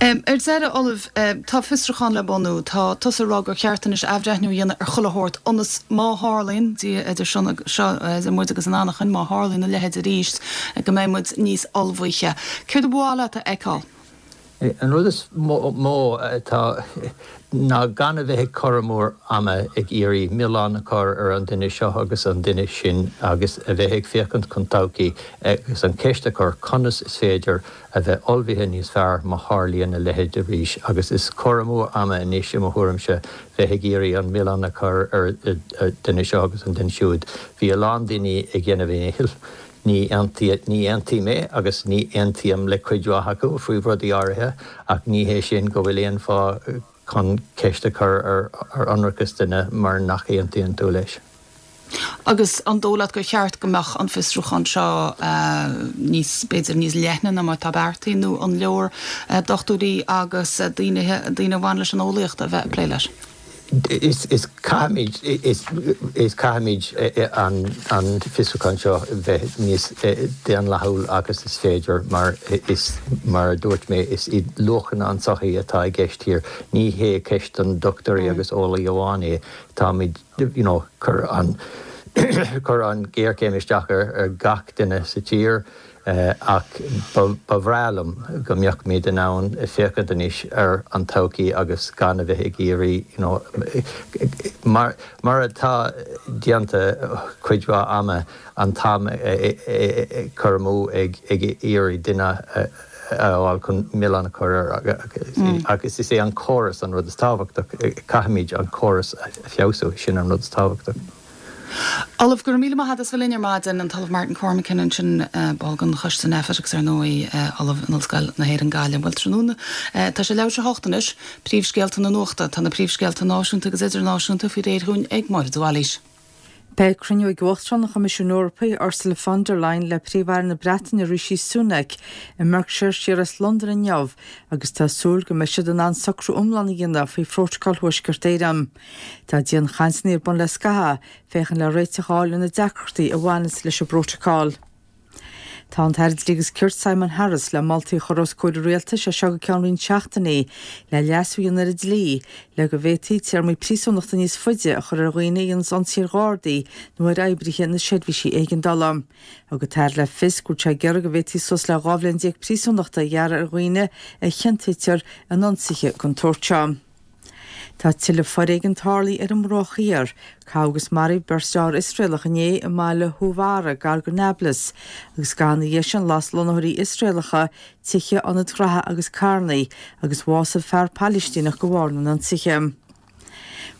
Ar deireadh, Ollamh, tá fiosrúchán le bunú. Tá tusa ag rá gur cheart anois athbhreithniú a dhéanamh ar chuile shórt ionas má tharlaíonn, Dia idir seo, idir muid agus an anachain, má tharlaíonn a leithéid arís, go mbeidh muid níos ullmhaithe. Céard a ba mhaith leat a fheiceáil? An rud is mó atá ná gan a bheith ag cur amú ama ag iarraidh milleán a chur ar an duine seo agus an duine sin agus a bheith ag féachaint chun todhchaí agus an ceist a chur conas is féidir a bheith ullmhaithe níos fearr má tharlaíonn a leithéid arís agus is cur amú ama anois i mo thuairimse bheith ag iarraidh an milleán a chur ar an duine seo agus an duine siúd. Bhí a lán daoine ag déanamh a ndíchill. Ní ní aontaím é agus ní aontaím le cuid mhaith acu faoi rudaí áirithe ach ní hé sin go bhfuil aon fáth chun ceist a chur ar ionracas duine mar nach aontaíonn tú leis. Agus an dóigh leat gur cheart go mbeadh an fiosrúchán seo níos, b'fhéidir, níos leithne ná mar atá beartaithe nó an leor dochtúirí agus daoine, daoine a bhain leis an eolaíocht a bheith ag plé leis? Is caithfimid, is caithfimid an fiosrúchán seo bheith níos daonlathúil agus is féidir mar is, mar a dúirt mé, is iad luachanna an tsochaí atá i gceist thiar. Ní hé ceist don dochtúirí agus eolaí amháin é. Táimid, you know, chuir an, chuir an ghéarchéim isteach ar gach duine sa tír. Ach ba bhreá liom go mbeadh muid in ann féachaint anois ar an todhchaí agus gan a bheith ag iarraidh you know mar mar atá déanta cuid mhaith ama an t-am a chur amú ag ag iarraidh duine a fháil chun milleán a chur air agus is é an córas an rud is tábhachtach caithfimid an córas a feabhsú sin an rud is tábhachtach. Ollamh, go raibh míle maith agat as bheith linn ar maidin, an tOllamh Martin Cormican ansin, ball den Choiste Nphet agus ar ndóigh Ollamh in Ollscoil na hÉireann Gaillimh. Bhuel tráthnóna, tá sé leathuair tar éis a hocht anois, príomhscéalta na nuachta. Tá na príomhscéalta náisiúnta agus idirnáisiúnta faoi réir dhúinn ag Máire de Bhailís. Beidh cruinniú ag Uachtarán an Choimisiúin Eorpaigh, Ursula von der Leyen le Príomh-Aire na Breataine Rishi Sunak i mBerkshire siar as Londain inniu agus tá súil go mbeidh siad in ann socrú iomlán a dhéanamh faoi Phrótacal Thuaisceart Éireann. Tá dianchainteanna ar bun le scaitheamh, féachaint le réiteach a fháil ar na deacrachtaí a bhaineas leis an bprótacal. Tá an tAire Dlí agus Cirt Simon Harris le moltaí a chur os comhair an Rialtais as seo go ceann roinnt seachtainí le leasú a dhéanamh ar an dlí le go bhféadfaí téarmaí príosúnachta níos faide a chur ar dhaoine a dhéanas ionsaí ar Ghardaí nó ar oibrithe na seirbhísí éigeandála. Thug an tAire le fios go bhfuil sé ag iarraidh go bhféadfaí suas le 12 bhliain príosúnachta a ghearradh ar dhaoine a chiontaítear in ionsaithe den tsórt seo. Tá tuilleadh foréigin tarlaithe ar an mBruach Thiar. Caitheadh agus maraíodh beirt fhear Iosraelach inné i mbaile Huwara, gar go Nablus, agus ina dhiaidh sin las lonnaitheoirí Iosraelacha tithe, ionaid ghraithe agus carranna, agus bhásaigh fear Palaistíneach de bharr na n-ionsaithe.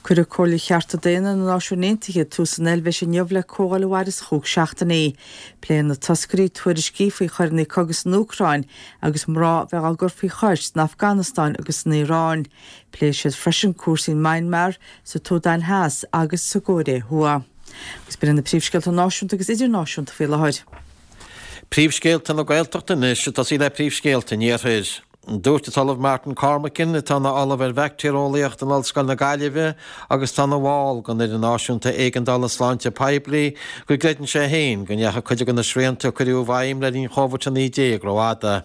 Cuirfidh Comhairle Chearta Daonna na Náisiún Aontaithe tús san Eilvéis inniu le comhdháil a mhairfeas chúig seachtainí. Pléifidh na toscairí tuairiscí faoi choireanna cogaidh san Úcráin agus mná a bheith á gcur faoi chois san Afganastáin agus san Iaráin. Pléifidh siad freisin cúrsaí in Myanmar, sa tSúdáin Theas agus sa gCóiré Thuaidh. Agus b'in iad na príomhscéalta náisiúnta agus idirnáisiúnta faoi láthair. Príomhscéalta na Gaeltachta anois, ag tosaí le príomhscéalta an Iarthair. Dúirt an tOllamh Martin Cormican, atá ina Ollamh ar Bhaictéareolaíocht in Ollscoil na Gaillimhe agus atá ina bhall den Fhoireann Náisiúnta Éigeandála Sláinte Poiblí, go gcreideann sé féin go ndeachaigh cuid de na srianta a cuireadh i bhfeidhm le linn Chóvid-19 rófhada.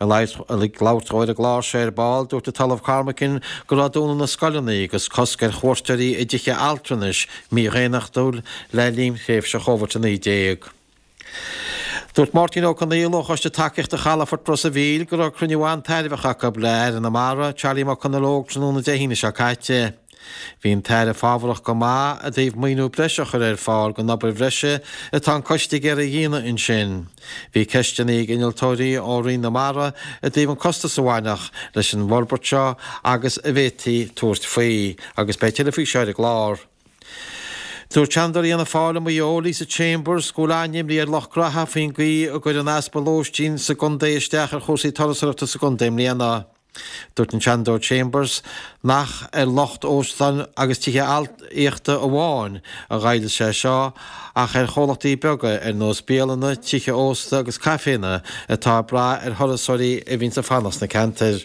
Ag labhairt dó ar an gclár seo ar ball, dúirt an tOllamh Cormican go raibh dúnadh na scoileanna agus cosc ar chuairteoirí i dtithe altranais mídhaonnachtúil le linn thréimhse Chóvid-19. Dúirt Máirtín Ó Conghaile ó Choiste Tacaíochta Chalafort Ros a' Mhíl go raibh cruinniú an-tairbheach acu le Aire na Mara, Charlie McConalogue tráthnóna Dé hAoine seo caite. Bhí an tAire fábharach go maith i dtaobh maoiniú breise a chur ar fáil don obair bhreise atá an coiste ag iarraidh a dhéanamh ansin. Bhí ceisteanna ag innealtóirí ó Roinn na Mara i dtaobh an costas a bhainfeadh leis an bhforbairt seo agus an bhféadfaí tabhairt faoi agus beidh tuilleadh faoi seo ar an gclár. Dúirt Seanadóir Fhianna Fáil i Maigh Eo, Lisa Chambers, go bhfuil an-imní ar lucht graithe faoin gcaoi a gcuir an easpa lóistín sa gcontae isteach ar chúrsaí turasóireachta sa gcontae i mbliana. Dúirt an Seanadóir Chambers nach ar lucht óstán agus tithe aíochta amháin a ghoill sé seo ach ar chomhlachtaí beaga ar nós bialanna, tithe ósta agus caiféanna atá ag brath ar thurasóirí a bhíonns ag fanacht sna ceantair.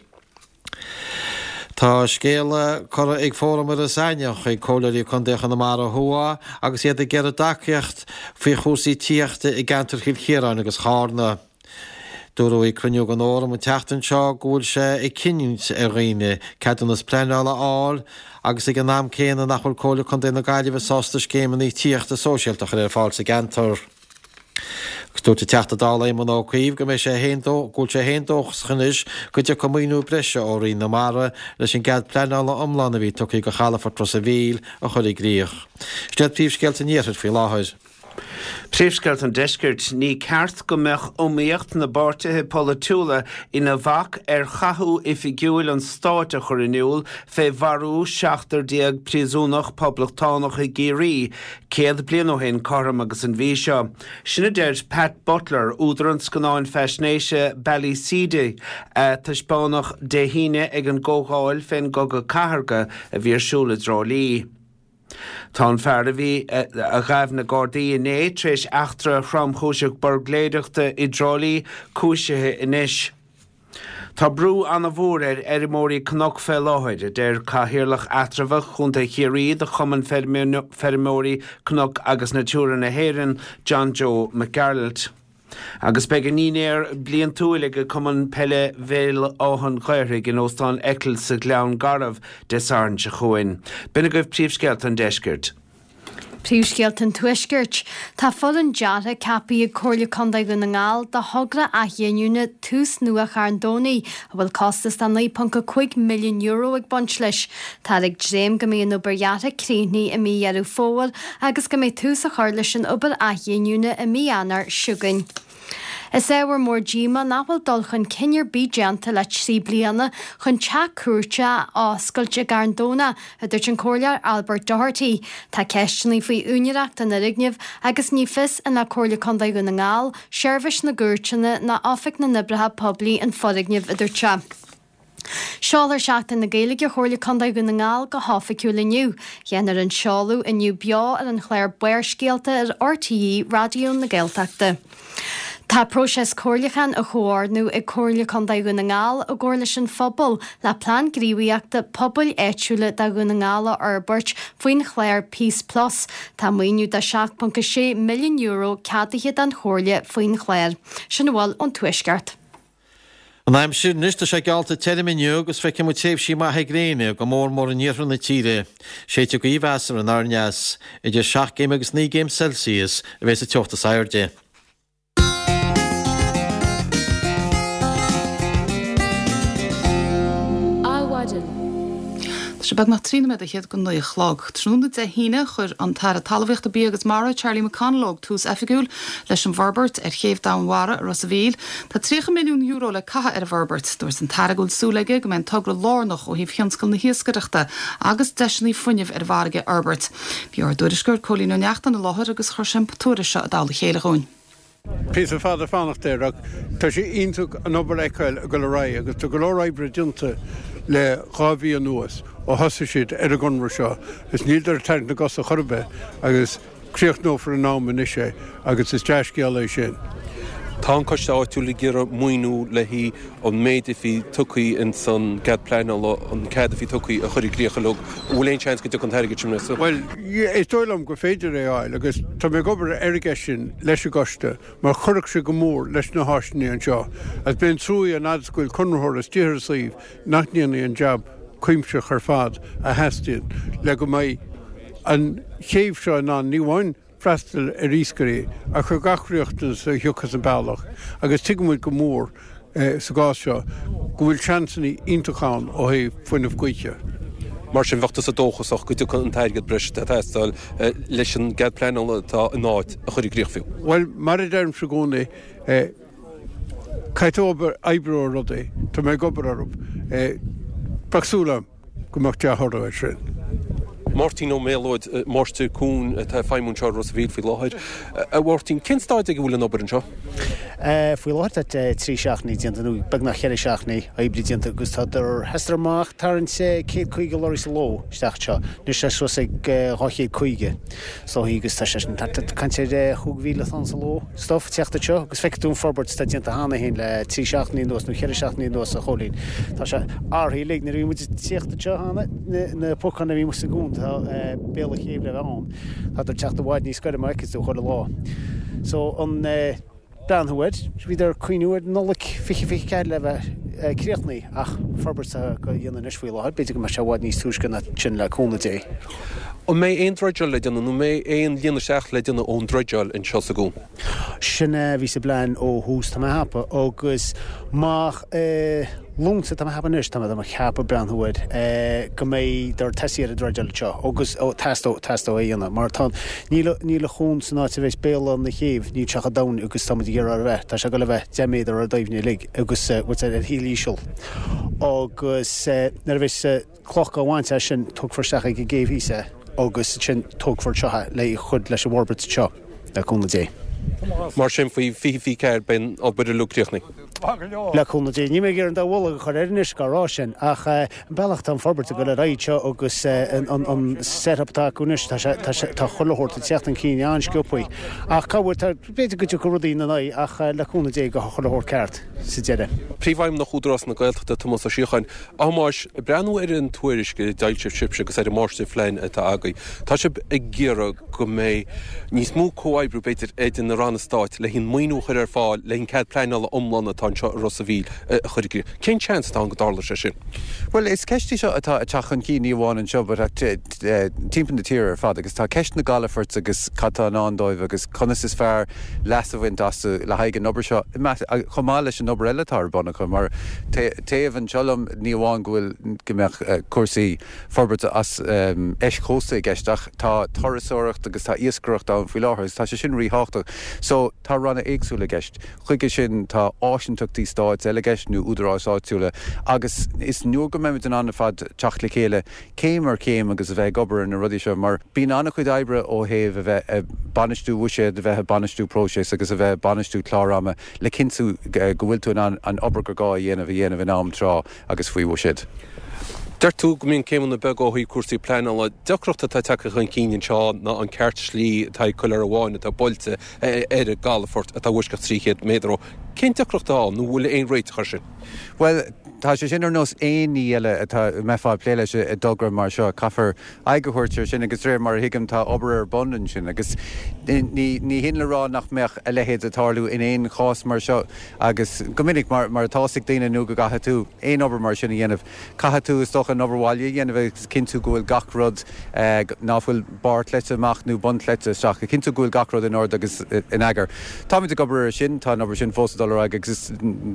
Tá scéala curtha ag Fóram Iorras Aithneach chuig Comhairleoirí Contae Chonamara Thuaidh agus iad ag iarraidh tacaíocht faoi chúrsaí tithíochta i gceantar Chill Chiaráin agus Chárna. Dúradh ag cruinniú den Fhóram an tseachtain seo go bhfuil sé ag cinniúint ar dhaoine ceadúnas pleanála a fháil agus ag an am céanna nach bhfuil Comhairle Contae na Gaillimhe sásta scéimeanna tithíochta sóisialta a chur ar fáil sa gceantar. Agus dúirt an Teachta Dála Éamon Ó Cuív go mbeidh sé féin go bhfuil sé féin dóchasach anois go dtiocfaidh maoiniú breise ó Roinn na Mara leis an gcead pleanála iomlán a bhí tugtha do chalafort Ros a' Mhíl a chur i gcrích. Sin iad príomhscéalta an Iarthair faoi láthair. Príomhscéalta an Deiscirt, Ní ceart go mbeadh iomaíocht na bpáirtithe polaitiúla ina bhac ar chathú oifigiúil an stáit a chur in iúl fé mharú 17 príosúnach poblachtánach i gCiarraí 100 bliain ó shin cothrom agus an mhí seo. Sin a deir Pat Butler, údar an scannáin faisnéise Ballyseedy a taispeánadh Dé hAoine ag an gcomhdháil fén gCogadh Cathartha a bhí ar siúl i dTrá Lí. Tá an fear a bhí a ghabh na Gardaí inné tar éis eachtra thromchúiseach buirgléireachta i dTrá Lí cúisithe anois. Tá brú ana-mhór ar fheirmeoirí cnoc fé láthair, a deir Cathaoirleach Eatramhach Chontae Chiarraí de Chumann Feirmeoirí Cnoc agus Natura na hÉireann, John Joe McGearailt. Agus beidh a ndinnéar bliantúil ag Cumann Peile Bhéal Átha an Ghaorthaidh in Óstán Eccles sa Ghleann Garbh Dé Sathairn seo chugainn. B'in agaibh príomhscéalta an deiscirt. Príomhscéalta an Tuaiscirt. Tá foireann deartha ceaptha ag Comhairle Contae Dhún na nGall do thogra athghiniúna Tús Nua Charn Domhnaigh, a bhfuil costas de €9.5 milliún ag baint leis. Táthar ag dréim go mbeidh an obair dheartha críochnaithe i mí Dheireadh Fómhair agus go mbeidh tús á chur leis an obair athghiniúna i mí Eanáir seo chugainn. Is ábhar mór díomá nach bhfuil dul chun cinn ar bith déanta le 3 bliana chun teach cúirte a oscailt i gCarn Domhnach, a dúirt an Comhairleoir Albert Doherty. Tá ceisteanna faoi úinéireacht an fhoirgnimh agus ní fios an le Comhairle Contae Dhún na nGall, Seirbhís na gCúirteanna ná Oifig na nOibreacha Poiblí an foirgneamh, a dúirt sé. Seolfar Seachtain na Gaeilge Chomhairle Contae Dhún na nGall go hoifigiúil inniu. Déanfar an seoladh inniu beo ar an chlár Barrscéalta ar RTÉ Raidió na Gaeltachta. Tá próiseas comhairliúcháin á chomhordnú ag Comhairle Contae Dhún na nGall i gcomhar leis an phobal le plean gníomhaíochta pobail áitiúla do Dhún na nGall a fhorbairt faoin chlár Peace Plus. Tá maoiniú de €7.6 milliún ceadaithe don Chomhairle faoin chlár. Sin a bhfuil ón Tuaisceart. An aimsir anois, tá sé geallta tirim inniu agus feicfidh muid tréimhsí maithe gréine, go mór mór in iarthar na tíre. Séidfidh gaoth mheasartha anoir aneas. Idir 7 gcéim agus 9 gcéim Celsius a bheidh sa teocht is airde. Adhmhaidin. Tá sé beagnach 13 nóiméad go 9 a chlog. Tráthnóna Dé hAoine, chuir an tAire Talmhaíochta, Bia agus Mara, Charlie McConalogue, tús oifigiúil leis an bhforbairt ar Chéibh Domhainmhara i Ros a' Mhíl. Tá €30 milliún le caitheamh ar an bhforbairt. Dúirt an tAire go bhfuil súil aige go mbeidh an togra lárnach ó thaobh thionscal na hiascaireachta agus deiseanna fuinnimh ar an bhfarraige a fhorbairt. Bhí ár dtuairisceoir Cóilín Ó Neachtain i láthair agus chuir sé an tuairisc seo i dtoll a chéile dhúinn. Píosa fada fanacht air ach tá sé iontach an obair a fheiceáil ag dul ar aghaidh agus tá go leor oibre déanta le 2 mhí anuas ó thosaigh siad ar an gconradh seo is níleadar ag tarraingt na gcos ar chor ar bith agus críochnófar in am anois é agus is dea-scéal é sin. Tá an coiste áitiúil ag iarraidh maoiniú le haghaidh an méid a bhí tugtha ins an gcead pleanála, an cead a bhí tugtha a chur i gcrích uilig. An bhfuil aon seans go dtiocfaidh an t-airgead sin anois? Bhuel, is dóigh liom gur féidir é a fháil agus tá mé ag obair ar an gceist sin leis an gcoiste mar chuirfeadh sé go mór leis na háiseanna anseo agus b'é an trua an fhad is go bhfuil conraitheoir istigh ar an suíomh nach ndéanfaidh an jab cuimsitheach ar fad a theastaíonn le go mbeidh an chéibh seo in ann ní amháin freastal ar iascairí ach ar gach riachtanas a thiocfas an bealach agus tuigeann muid go mór sa gcás seo go bhfuil seansanna iontacha ann ó thaobh fuinneamh gaoithe. Mar sin, bheadh tusa dóchasach go dtiocfaidh an t-airgead breise atá ag teastáil leis an gcead pleanála atá in áit a chur i gcrích fiú? Bhuel, mar a deirimse i gcónaí, caithfidh tú obair, oibriú ar rudaí, tá mé ag obair orthu. Bheadh súil agam go mbeadh dea-thoradh air sin. Máirtín Ó Méalóid, Máistir Cuain atá ag feidhmiú anseo i Ros a' Mhíl faoi láthair. A Mháirtín, cén staid ag a bhfuil an obair anseo? Faoi láthair tá 3 seachtainí déanta nó beagnach 4 seachtainí oibre déanta agus tá sheasadar amach tarraingt 150 lorry sa ló isteach anseo. Anois tá suas ag 250 is dóichí agus tá sé sin thart ag caint ar 5,000 tonn sa ló stuif ag teacht anseo agus feicfidh tú an forbairt atá déanta cheana féin le 3 seachtainí anuas nó 4 seachtainí anuas a Chóilín. Tá sé athraithe uilig. Nuair a bhí muid ag tíocht anseo cheana, na pocáin a bhí amuigh sa gcuan, tá béal an chéibh le bheith ann, tá ag teacht i bhfad níos gaire mar a fheiceann tú chuile lá. So an. breathnú air. Bhíodar ag cuimhniú ar Nollaig 2024 le bheith críochnaithe ach forbairt atá á dhéanamh anois faoi láthair, b'fhéidir go mbeidh sé i bhfad níos túisce ná sin le cúnamh Dé. An mbeidh aon dreideáil le déanamh nó an mbeidh aon líonadh isteach le déanamh ón dreideáil anseo sa gcuan? Sin é a bhí sa bplean ó thús, tá mé a cheapadh, agus má Lúnasa, tá mé a cheapadh anois, tá mé ag ceapadh breathnú air, go mbeidh ag tosaí ar an dreideáil anseo agus teastóidh, teastóidh é a dhéanamh mar tá, níl, níl an cuan san áit a bheas béal na céibh, níl sé chomh domhain agus tá muid ag iarraidh a bheith, tá sé ag dul a bheith 10 méadar ar doimhne uilig agus bhfuil sé ar thaobh íseal agus nuair a bheas cloch á bhaint as sin, tógfar isteach ag an gcéibh thíos é agus ansin tógfar anseo é le cur leis an bhforbairt anseo, le cúnamh Dé. Mar sin, faoi 2024 beidh an obair uilig críochnaithe. Le cúnamh Dé. Níl mé ag iarraidh an dá mhullach a chur air anois dhá rá sin, ach an bealach atá an forbairt ag dul ar aghaidh anseo agus an set-up atá acu anois, tá sé, tá sé, tá chuile shórt ag teacht chun cinn an-sciobthaí. Ach cá bhfuil, tá, b'fhéidir go dtiocfaidh rudaí ina n-aghaidh ach le cúnamh Dé gabhfaidh chuile shórt ceart sa deireadh. Príomhfheidhmeannach Údarás na Gaeltachta, Tomás Ó Síocháin, A Thomáis, ag breathnú ar an tuairisc a d'fhoilsigh sibhse agus ar an máistirphlean atá agaibh, tá sibh ag iarraidh go mbeidh níos mó comhoibriú, b'fhéidir, idir na ranna stáit le haghaidh an maoiniú a chur ar fáil le haghaidh an cead pleanála iomlán atá anseo i Ros a' Mhíl a chur i gcrích. Cén seans atá ann go dtarlóidh sé sin? Bhuel, is ceist í seo atá ag teacht chun cinn, ní amháin anseo, but timpeall na tíre ar fad agus tá ceist na gcalafort agus cad tá i ndán dóibh agus conas is fearr leas a bhaint astu le haghaidh an obair seo, chomh maith leis an obair eile atá ar bun acu. Mar taobh anseo liom, ní amháin go bhfuil, go mbeadh cúrsaí forbairt as eischósta i gceist ach tá turasóireacht agus tá iascaireacht ann faoi láthair agus tá sé sin ríthábhachtach. So, tá ranna éagsúla i gceist. Chuige sin tá áisinteachtaí stáit eile i gceist nó údaráis áitiúla agus is nuair go mbeimid in ann ar fad teacht le chéile céim ar chéim agus a bheith ag obair ar na rudaí seo mar bíonn an-chuid oibre ó thaobh a bheith ag bainistiú bhuiséad, a bheith ag bainistiú próiseas agus a bheith ag bainistiú clár ama le cinntiú go bhfuil tú in ann an obair gur gá a dhéanamh a dhéanamh in am tráth agus faoi bhuiséad. Deir tú go mbíonn céimeanna beaga ó thaobh cúrsaí pleanála. Deacracht atá tagtha chun cinn anseo ná an ceart slí atá ag Coill Ormháin atá buailte ar an gcalafort atá i bhfoisceacht 300 méadar ó. Cén deacracht atá ann nó an bhfuil aon réiteach air sin? Bhuel, tá sé sin ar nós aon ní eile atá, a mbeifeá ag plé leis i dtogra mar seo. Caithfear aghaidh a thabhairt air sin agus de réir mar a thuigim tá obair ar bun ansin agus ní, ní hin le rá nach mbeadh a leithéid ag tarlú in aon chás mar seo agus go minic mar, mar atá fhios ag daoine nó go gcaithfidh tú aon obair mar sin a dhéanamh, Caithfidh tú, is dócha, an obair bhaile a dhéanamh agus cinntiú go bhfuil gach rud, ná fuil barr cleite amach nó bun cleite isteach, a chinntiú go bhfuil gach rud in ord agus in eagar. Táimid ag obair air sin, tá an obair sin fós ag dul ar aghaidh agus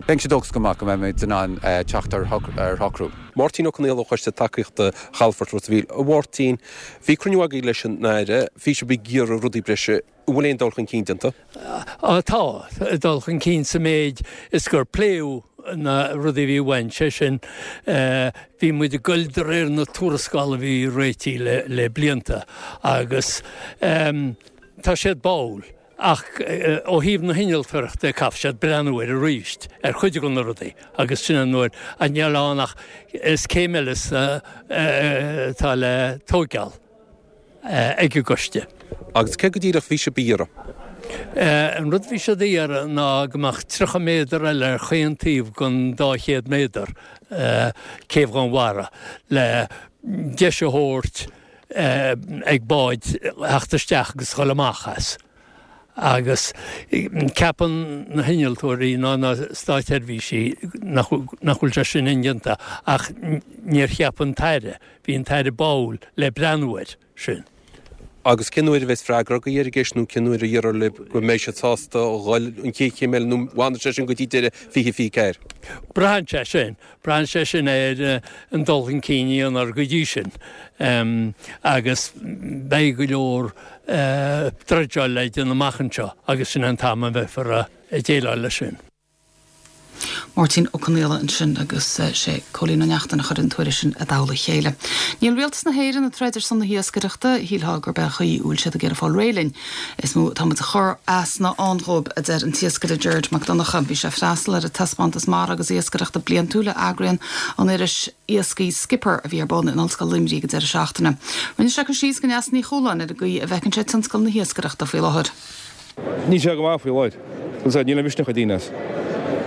bheinnse dóchasach go maith go mbeimid in ann teacht ar shocrú. Máirtín Ó Conaola ó Choiste Tacaíochta Chalafort Ros a' Mhíl. A Mháirtín, bhí cruinniú agaibh leis an Aire, bhí sibh ag iarraidh rudaí breise, an bhfuil aon dul chun cinn déanta? Tá dul chun cinn sa méid is gur pléadh na rudaí a bhí uainn, sé sin, bhí muid ag goil de réir na tuarascála a bhí réitithe le blianta agus tá siad báúil ach ó thaobh na hinnealtóireachta caithfidh siad breathnú air arís ar chuid de na rudaí agus sin an uair a níl ann ach is céim eile atá le tóigeáil. ag an gcoiste. Agus céard go díreach bhí sibh a iarraidh? An rud a bhí siad a iarraidh ná go mbeadh 30 méadar eile ar chaon taobh den 200 méadar céibh Dhúnmhara le deis a thabhairt ag báid theacht isteach agus dhul amach as. Agus ceapann na hinnealtóirí ná na státsheirbhísí nach bhfuil sé sin indéanta ach níor cheap an tAire Bhí an tAire báúil le breathnú air sin. Agus cén uair a bheas freagra agaibh ar an gceist nó cén uair a déarfar libh go mbeidh siad sásta a dhul an chéad chéim eile nó an bhfanfaidh sé sin go dtí deireadh 2024? Braitheann sé sin, braitheann sé sin ar an dul chun cinn a dhéanfar go dtí sin agus beidh go leor dreideáil le déanamh amach anseo agus sin an t-am a bheifear ag déileáil leis sin. Máirtín Ó Conaola ansin agus sé Cóilín Ó Neachtain a chuir an tuairisc sin i dtoll a chéile. Níl Rialtas na hÉireann ag troid ar son na hiascaireachta, shílfeá gurb é an chaoi a bhfuil siad ag iarraidh fáil réidh linn. Is mó atá muid ag cur as ná ann dhóibh, a deir an t-iascaire Gerard Mac Donncha. Bhí sé ag freastal ar an taispeántas mara agus iascaireachta bliantúil a eagraíonn an iris iascaigh Skipper a bhí ar bun in Ollscoil Luimnigh ag an deireadh seachtaine. Rinne sé cur síos do Neasa Ní Chualáin ar an gcaoi a bhfeiceann sé tionscal na hiascaireachta faoi láthair. Níl sé go maith faoi láthair. Bhuel, sea, níl aon mhisneach ag daoine as.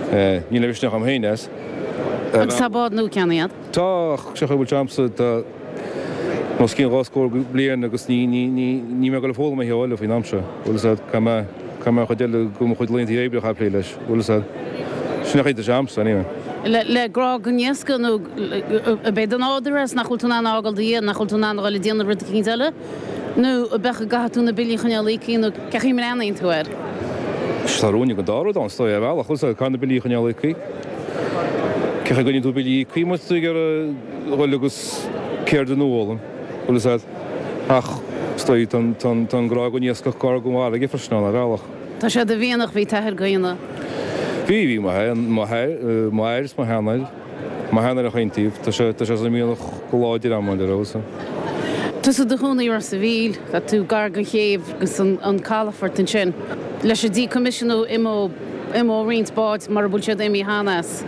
Níl aon mhisneach agam féin as. Agus tá bád nua ceannaithe agat? Tá, ach seo a bhfuil sé agamsa, tá os cionn dhá scór bliain agus ní, ní, ní, níl mé ag dul ag foghlaim a thuilleadh eile faoin am seo. Bhuel, sea, caithfidh mé. Caithfidh mé an chuid eile de mo chuid laethanta oibre a chaitheamh ag plé leis, bhfuil fhios a'd. Sin é an chaoi atá sé a'msa, anyway. Le grá don iascach nó ab é do nádúr é is nach bhfuil tú in ann a fhágáil do dhiaidh, nach bhfuil tú in ann a dhul ag déanamh rud eicínt eile? Nó ab ea go gcaithfidh tú na billí a choinneáil íoctha nó cén chaoi a mbreathnaíonn tú air? Tá ruainne den dá rud ann, is dóigh, ar bhealach, bhfuil fhios a'd, caithfidh na billí a choinneáil íoctha. Cén chaoi a gcoinníonn tú billí íoctha má tá tú ag iarraidh dhul agus ceird nua a fhoghlaim, bhfuil fhios a'd. Ach is dóigh, tá an grá don iascach gar don bhfarraige freisin ann, ar bhealach. Tá sé i do mhianach, bhí t'athair gránna. Bhí, bhí, mo athair, mo athair is mo sheanathair, mo sheanathair ar chaon taobh, tá sé, tá sé sa mhianach go láidir a'm, ar fheabhas. Tusa i do chónaí i Ros a' Mhíl, tá tú gar don chéibh agus an calafort ansin. Leis an decommissioning imeoidh, imeoidh roinnt báid mura bhfuil siad imithe cheana as.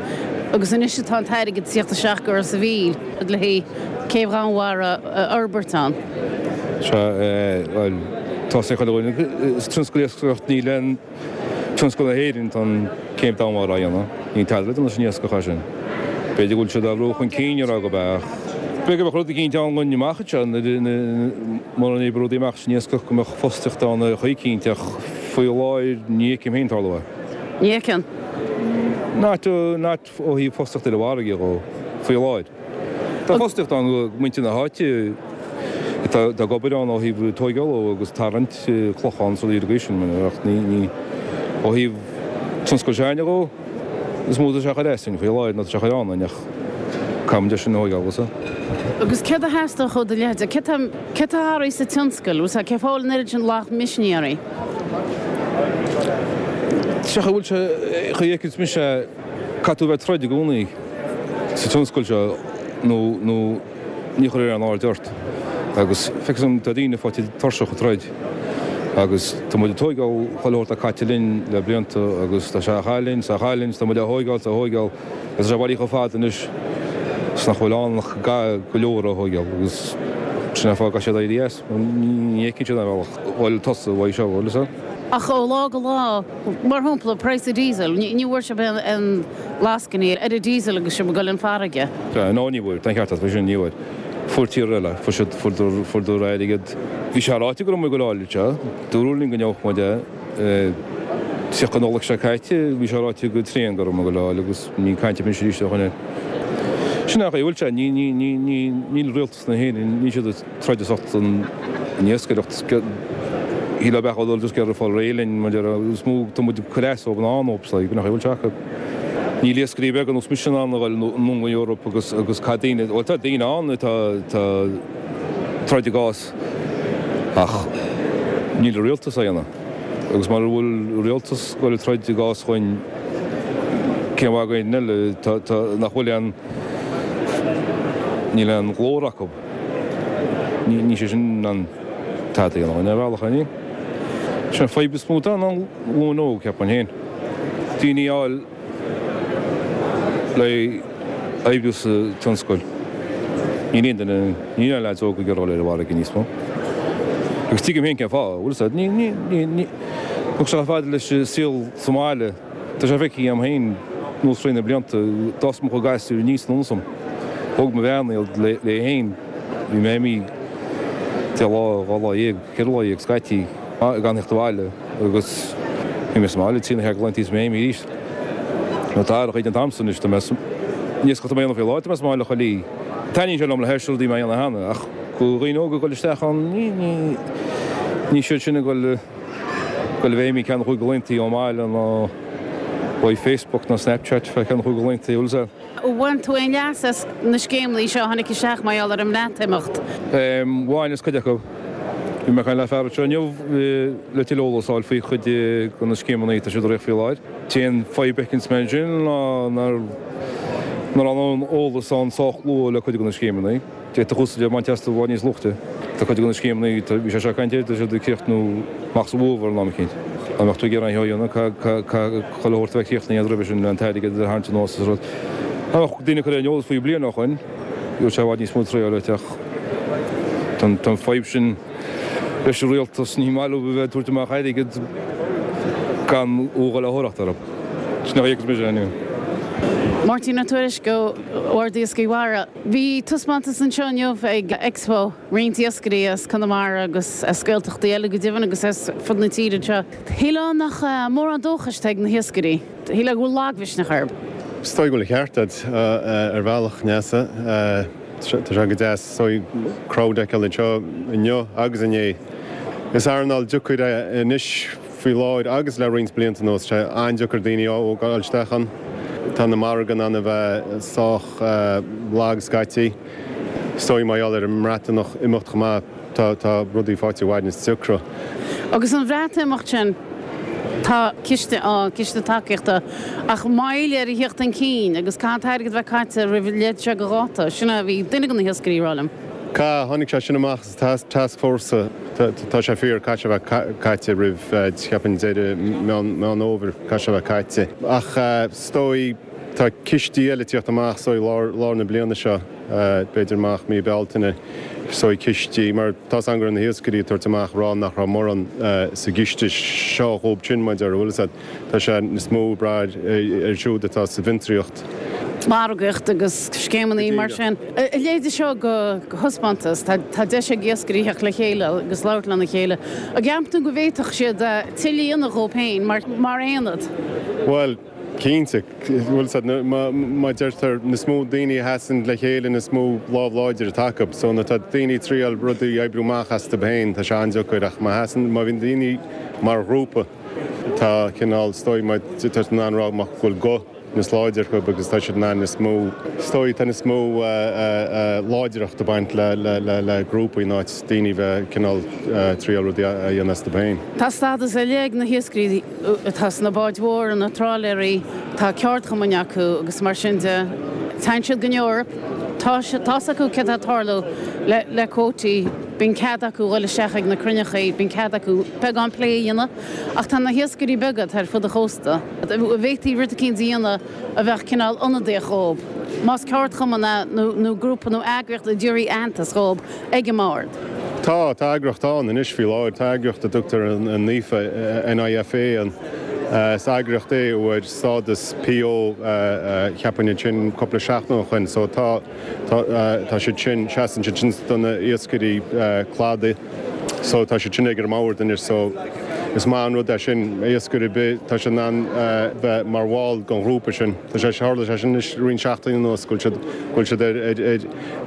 Agus anois atá an t-airgead ag tíocht isteach go Ros a' Mhíl le haghaidh céibh Dhomhanmhara a fhorbairt ann. Sea, bhuel, tá sé chuile dhuine. Is tionscal iascaireacht ní le tionscal na hÉireann tá an céibh Domhanmhara á dhéanamh. Níl tada le déanamh leis an iascach as sin. B'fhéidir go bhfuil siad á bhrú chun cinn a rá gurb ea ach b'fhéidir go mbeadh rud eicínt ann againn amach anseo mura n-oibreoidh rudaí amach san iascach go mbeadh fostaíocht ann ar chaoi eicínt ach faoi láthair ní fheicim féin tarlú é. Ní fheiceann. Not, not ó thaobh fostaíocht ar an bhfarraige dhó faoi láthair. Tá fostaíocht ann do mhuintir na háite atá ag obair ann ó thaobh tóigeála agus tarraingt clochán is rudaí ar an gcaoi sin, ach ní ó thaobh tionscal s'againne dhó, is mó atá sé a chur asainn faoi láthair ná tá sé a chur ionainn ach caithfimid é sin a thóigeáil, bhfuil fhios. Agus céard a theastódh ó do leithéid? Céard tá céard tá athraithe sa tionscal? Bhfuil fhios agat cén fáth a bhfuil an oiread sin laghad misnigh oraibh? Sé chaoi a bhfuil sé, chaoi a fheiceanns mise é, Caithfidh tú a bheith ag troid i gcónaí sa tionscal seo nó nó ní chuirfear aon aird ort. Agus feictear dom tá daoine faighte tuirseach ag troid agus tá muid ag tóigeáil chuile shórt atá caite linn le blianta agus tá sé á chaitheamh linn 's á chaitheamh linn 's tá muid á thóigeáil 's á thóigeáil agus tá sé bailithe chomh fada anois 's nach bhfuil ann ach go leor a thóigeáil agus sin é an fáth go gcaithfidh siad éirí as. Ní fheiceann siad aon bhealach bhuel tusa uaidh seo, bhfuil fhios agat. Ach ó lá go lá, mar shampla, praghas an diesel, ní bhfuair sibh aon lascainí ar an diesel agus sibh ag dul an farraige. No, ní bhfuair, tá an ceart agat faoi sin, ní bhfuair. Fuair tíortha eile, fuair siad, fuaireadar, fuaireadar airgead. Bhí sé ráite go raibh muid ag dul a fháil seo, dúradh linn go ngeobhadh muid é. 30 Nollaig seo caite, bhí sé ráite go tréan go raibh muid ag dul a fháil agus níl caint ar bith anois arís ó shoin air. Sin é an chaoi a bhfuil sé, ní, ní, ní, ní, níl rialtas na hÉireann, níl siad ag. troid ar son an iascaireacht. Shílfeá beadh dul just ag iarraidh fáil réidh linn mar is mó tá muid ag cur as dóibh ná dóibh nach bhfuil sé acu. Níl iascairí beaga ar nós mise in ann a dhul anonn go Eoraip agus agus caith daoine, bhuel tá daoine ann atá atá troid a gcás ach níl an rialtas á dhéanamh. Agus mara bhfuil rialtas ag dul ag troid a gcás dhúinn cén mhaith againn eile tá tá nach bhfuil aon níl aon ghlór acu. Níl sé sin in ann tada a dhéanamh ar bhealach, an níl? Sin an fadhb is mó atá ná an ghlúin óg, cheapfainn féin. Daoine a fháil le oibriú sa tionscal. Níl aon duine, níl aon leaids óga ag iarraidh dul ar an bhfarraige níos mó. Agus tuigim féin cén fáth, bhfuil fhios agat, ní, ní, ní, ní, thug sé chomh fada leis an saol sa mbaile. Tá sé feicthe agam féin anuas thrí na blianta, d'fhás mo chuid gasúir aníos in ionasam. Thóg mo bhean iad léi féin. Bhí mé imithe deich lá, 12 lá, 14 lá scaití gan theacht abhaile agus bhí mé sa mbaile trí nó cheathair de laethanta is mé imithe arís. Nó tá athraithe an t-am san anois, tá mé sa, ní éasca tá mé a dhéanamh faoi láthair, tá mé sa mbaile chuile oíche. Taitníonn sé liom le hais rudaí mé a dhéanamh cheana ach go dhaoine óga ag dul isteach ann, ní, ní, ní siad sin ag dul. Dul a bheith imithe ceann nó chúig de laethanta ón mbaile nó uaidh Facebook nó Snapchat fé cheann nó chúig de laethanta, bhfuil fhios agat. Bhain tú aon leas as na scéimeanna seo a tháinig isteach mar gheall ar an mBreatimeacht? Bhain as cuid acu. Bhí mé ag caint le fear anseo inniu le tuilleadh eolas a fháil faoi chuid de na scéimeanna atá siad ag rith faoi láthair. T-aon fadhb a fheiceanns mé ansin ná nach raibh aon eolas ann sách luath le cuid de na scéimeanna. D'fhéadfadh úsáid a bhaint astu i bhfad níos luaithe. Tá cuid de na scéimeanna, bhí sé seo ag caint air, tá siad ag críochnú amach sa bhfómhar an am eicínt. Dá mbeadh tú ag iarraidh an sheó a dhéanamh, caithfidh chuile shórt a bheith críochnaithe roimhe sin le an t-airgead a tharraingt anuas is rud. Dá mbeadh daoine curtha ar an eolas faoi bliain ó shoin, bheadh sé i bhfad níos mó traeáil ach tá an fadhb sin leis an rialtas, ní maith leo a bheith ag tabhairt amach airgead gan a dhul á thabhairt orthu. Sin a fhios mise anyway. Máirtín Ó Tuairisg ó Bhord Iascaigh Mhara. Bhí taispeántas anseo inniu ag Expo, roinnt iascairí as Conamara agus as Gaeltachtaí eile go deimhin agus as fud na tíre anseo. Shílfeá nach mórán dóchais atá ag na hiascairí. Shílfeá go bhfuil lagmhisneach orthu. Is dóigh go bhfuil an ceart agat ar bhealach, Neasa. Tá sé go deas is dóigh crowd a fheiceáil anseo inniu agus inné. Is earnáil deacair é anois faoi láthair agus le roinnt blianta anuas. Tá sé an-deacair daoine a fháil isteach ann. Tá na margaí in ann a bheith sách lag scaití. Is dóigh mar gheall ar an mBreatimeacht chomh maith, tá tá rudaí faighte i bhfad níos deacra. Agus an Bhreatimeacht sin, tá ciste ann, ciste tacaíochta, ach moill air a theacht chun cinn agus caithfidh an t-airgead a bheith caite roimh an leithéid seo de dháta. Sin a bhí duine de na hiascairí ag rá liom. Caithfidh, tháinig sé sin amach sa taskforce, tá sé fíor, caithfidh sé a bheith caite roimh, cheapfainn, deireadh Meán Fhómhair, caithfidh sé a bheith caite. Ach is dóigh, tá cistí eile ag tíocht amach, is dóigh, lár na bliana seo, b'fhéidir amach mí Bealtaine, is dóigh, cistí, mar tá 's agam go raibh na hiascairí ag tabhairt amach ag rá nach raibh mórán sa gciste seo dhóibh sin, mar a déarfá, bhfuil 'fhios a'd. Tá sé níos mó ag brath ar siúd atá sa bhfiontraíocht. margaíocht agus scéimeanna mar sin. A leithéid seo de thaispeántas, tá deis ag iascairí theacht le chéile agus labhairt lena chéile. An gceapann tú go bhféadfadh siad tuilleadh a dhéanamh dhóibh féin mar aonad? Bhuel, cinnte. Bhfuil 'fhios a'd, mar deirtear, níos mó daoine a sheasann le chéile, níos mó lámh láidir atá acu. So nuair atá daoine ag triail rudaí a oibriú amach astu féin, tá sé an-deacair ach má sheasann, má bhíonn daoine mar ghrúpa, Tá cineál, is dóigh, mar tá siad in ann rá go bhfuil guth níos láidre acu agus tá siad in ann níos mó, is dóigh, tá níos mó láidreacht ag baint le grúpaí in áit daoine bheith cineál triail rudaí a dhéanamh astu féin. Tá stádas ar leith ag na hiascairí atá sna báid mhóra, na trálaeirí, tá ceardchumainn acu agus mar sin de. Téann siad go Eoraip, tá tá's acu céard atá ag tarlú le cuótaí. Bíonn cead acu dhul isteach ag na cruinneachaí, bíonn cead acu beagán plé a dhéanamh, ach tá na hiascairí beaga atá ar fud an chósta, an bhféadfaí rud eicínt a dhéanamh a bheadh cineál ionadaíoch dhóib, más ceardchumann é nó grúpa nó eagraíocht a dtabharfaí aitheantas dhóib ag an mbord. Tá, tá eagraíocht ann anois faoi láthair, tá eagraíocht a dtugtar an NIFA, NIFA, an, is eagraíocht é a fuair stádas PO cheapfainn ansin cúpla seachtain ó shoin, so tá, Tá siad sin, seasann siad sin do na iascairí cladaigh so tá siad sin ag an mbord anois so is maith an rud é sin. Iascaire ar bith, tá siad in ann bheith mar bhall den ghrúpa sin. Tá sé, tharla sé sin anois roinnt seachtainí anuas go bhfuil siad, go bhfuil siad ar, ar, ar,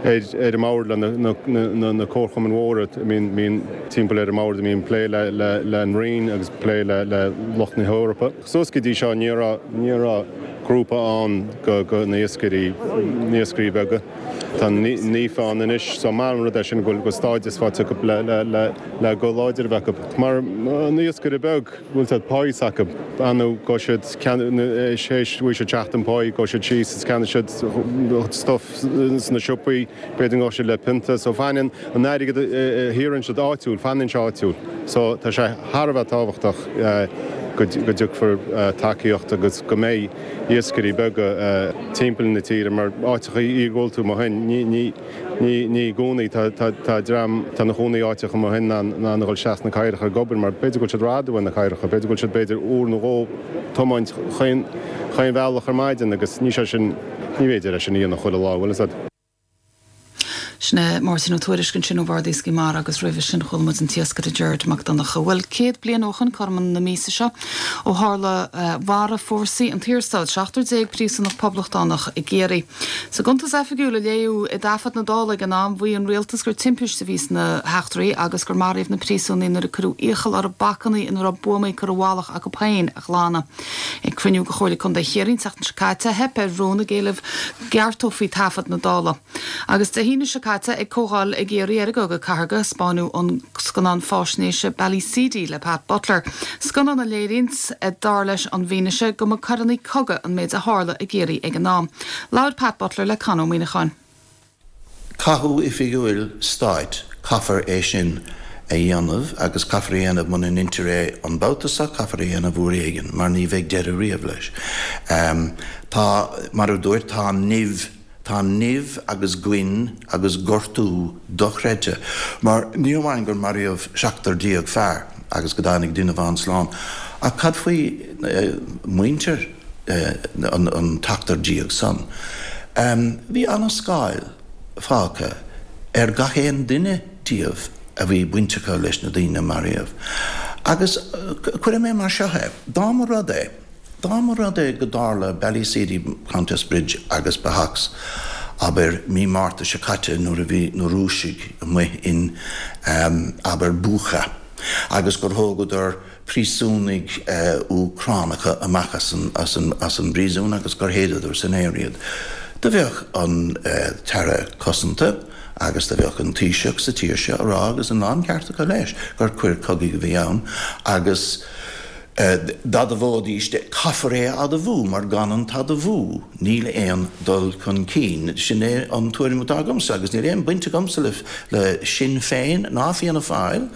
ar, ar an mbord le na, na, na, na comharchumainn mhóra a mbíonn, mbíonn timpeall ar an mbord a mbíonn plé le, le, le an Roinn agus plé le, le lucht na hEorpa. Suas go dtí seo ní raibh, ní raibh grúpa ann go, go na iascairí, na iascairí beaga. Tá NIFA ann anois so maith an rud é sin go bhfuil, go bhfuil stádas faighte acu le, le, le, le guth láidir a bheith acu. Mar an iascaire beag, bhfuil siad páí s'acu, annamh go siad ceann, théis, bhfuil siad seachtain páí, go siad síos is ceannaigh siad stuff sna siopaí, B'fhéidir go ngabhfaidh siad le pionta. So fanann an airgead a shaothraíonn siad áitiúil, fanann sé áitiúil. So tá sé thar a bheith tábhachtach go dtiocfar tacaíocht agus go mbeidh iascairí beaga timpeall na tíre mar áiteacha iargúlta amuigh ansin, ní, ní, ní, ní i gcónaí tá, tá, tá dream, tá na cónaí áiteacha amuigh ansin in ann, in ann a dhul isteach sna cathracha ag obair mar b'fhéidir go bhfuil siad rófhada uaidh na cathracha, b'fhéidir go bhfuil siad b'fhéidir uair nó dhó tiomáint chaon, chaon bhealach ar maidin agus ní sé sin, Ní féidir é sin a dhéanamh chuile lá, bhfuil fhios a'd. Sin é Máirtín Ó Tuairisg ansin ó Bhord Iascaigh Mhara agus roimhe sin chuala muid an t-iascaire Gerard Mac Donncha. Bhuel, 100 bliain ó shoin, cothrom na míosa seo, ó tharla mharaigh fórsaí an tSaorstáit 17 príosúnach poblachtánach i gCiarraí. Sa gcuntas oifigiúil a léadh i dtaifead na Dála ag an am, mhaígh an rialtas gur timpiste a bhí sna heachtraí agus gur maraíodh na príosúnaigh nuair a cuireadh iachall orthu bacanna ina raibh buamaí curtha i bhfalach acu féin a ghlanadh. Ag cruinniú de Chomhairle Contae Chiarraí an tseachtain seo caite, theip ar rún ag éileamh go gceartófaí taifead na Dála. Agus Dé hAoine seo caite, ag comhdháil i gCiarraí ar an gCogadh Cathartha, 'spáineadh an scannán fáisnéise Ballyseedy le Pat Butler, scannán a léiríonns, dar leis an bhfianaise, go mba coireanna cogaidh an méid a tharla i gCiarraí ag an am. Labhair Pat Butler le Con Ó Muíneacháin. Cathú oifigiúil stáit, caithfear é sin a dhéanamh agus caithfear é a dhéanamh muna ndeintear é an babhta seo, caithfear é a dhéanamh uair éigin mar ní bheidh deireadh riamh leis. Tá, mar a dúirt, tá an nimh, tá nimh agus goin agus gortú dochreidte mar ní amháin gur maraíodh 17 fear agus go dtáinig duine amháin slán ach cad faoi muintir? An tseachtar déag san. Bhí ana-scáil fágtha ar gach aon duine díobh a bhí baint acu leis na daoine a maraíodh. Agus cuirfidh mé mar seo é, dá mba rud é, dá mba rud é go dtarla Ballyseedy, Countess Bridge agus Behacs, abair, mí Márta seo caite nuair a bhí na Rúisigh amuigh in, abair, Bucha agus gur thógadar príosúnaigh Úcránacha amach as an bpríosún agus gur shéideadar san aer iad. Do bheadh an tAire Cosanta agus do bheadh an Taoiseach sa tír seo a rá, agus an láncheart acu leis, gur coir cogaidh a bhí ann agus d'admhóidís, caithfear é a admhú mar gan an t-admhú níl aon dul chun cinn. Sin é an tuairim atá agamsa agus níl aon baint agamsa le Sinn Féin ná Fianna Fáil.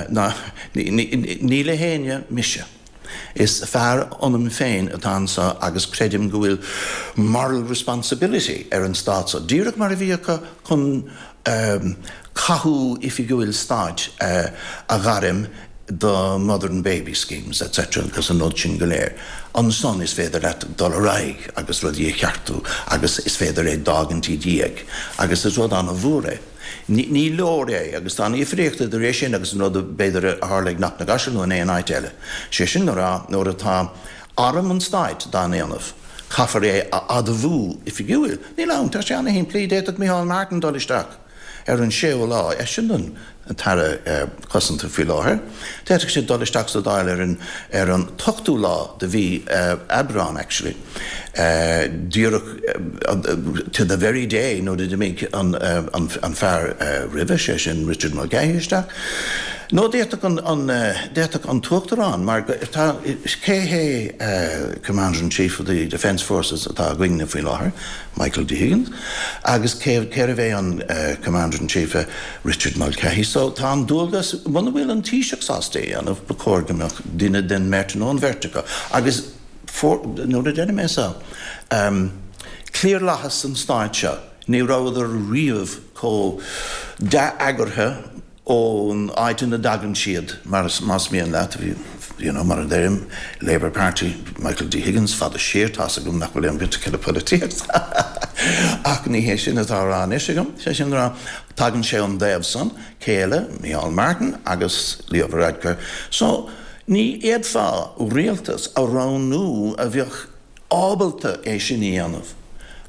Ná ní le héinne mise. Is fear ionam féin atá anso agus creidim go bhfuil moral responsibility ar an stát so, díreach mar a bhí acu chun cathú oifigiúil stáit a ghairm do mother and baby schemes etc agus an rud sin go léir. Ansan is féidir leat dul ar aghaidh agus rudaí a cheartú agus is féidir é d'fhágaint i ndiaidh agus is rud an-mhór é. Ní leor é, agus tá an difríocht idir é sin agus an rud b'fhéidir a tharla ag Cnoc na gCaiseal nó in aon áit eile. Sé sin le rá, nuair atá arm an stáit dá ndéanamh, caithfear é a admhú oifigiúil. Níl ann, tá sé ana-shimplí, d'fhéadfadh Micheál Martin dul isteach ar an séú lá, eisean an tAire Cosanta faoi láthair, d'fhéadfadh sé dul isteach sa Dáil ar an ar an t-ochtú lá de mhí Aibreán actually. Díreach to the very day nuair a d'imigh an fear roimhe, sé sin Richard Mulcahy isteach. Nó d'fhéadfadh an, d'fhéadfadh an tUachtarán mar tá, cé hé Commander in Chief of the Defence Forces atá againne faoi láthair? Michael D Higgins. Agus cé, cérbh é an Commander in Chief? Richard Mulcahy. So tá an dualgas, muna bhfuil an Taoiseach sásta é a dhéanamh, ba chóir go mbeadh duine den mbeirt nó an bheirt acu. Agus. Nuair a deirim é seo, cliarlathas an stáit seo, ní rabhadar riamh chomh dea-eagartha ón áit ina dtagann siad, mar más mian leat, you know, mar a deirim, Labour Party, Michael D Higgins, fada siar, tá's agam nach bhfuil aon bhaint aige le polaitíocht ach ní hé sin atá á rá anois agam, sé sin le rá, tagann sé ón dtaobh san, céile, Micheál Martin agus Leo Varadkar. So, ní fhéadfá rialtas a roghnú a bheadh ábalta é sin a dhéanamh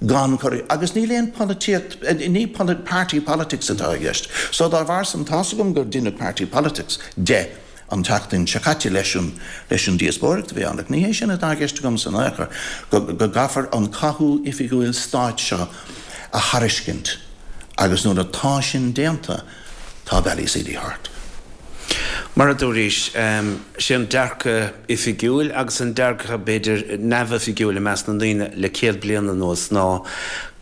gan cur, agus níl aon polaitíocht, ní party politics atá i gceist. So dá bharr san, tá's agam gur deineadh party politics de an tseachtain seo caite leis an, leis an díospóireacht a bhí ann, ach ní hé sin atá i gceist agamsa in aon chor, go, go gcaithfear an cathú oifigiúil stáit seo a thairiscint agus nuair atá sin déanta, tá Ballyseedy thart. Mar a dúraís, sé an dearcadh oifigiúil agus an dearcadh, b'fhéidir, neamhoifigiúil i measc na ndaoine le 100 bliain anuas ná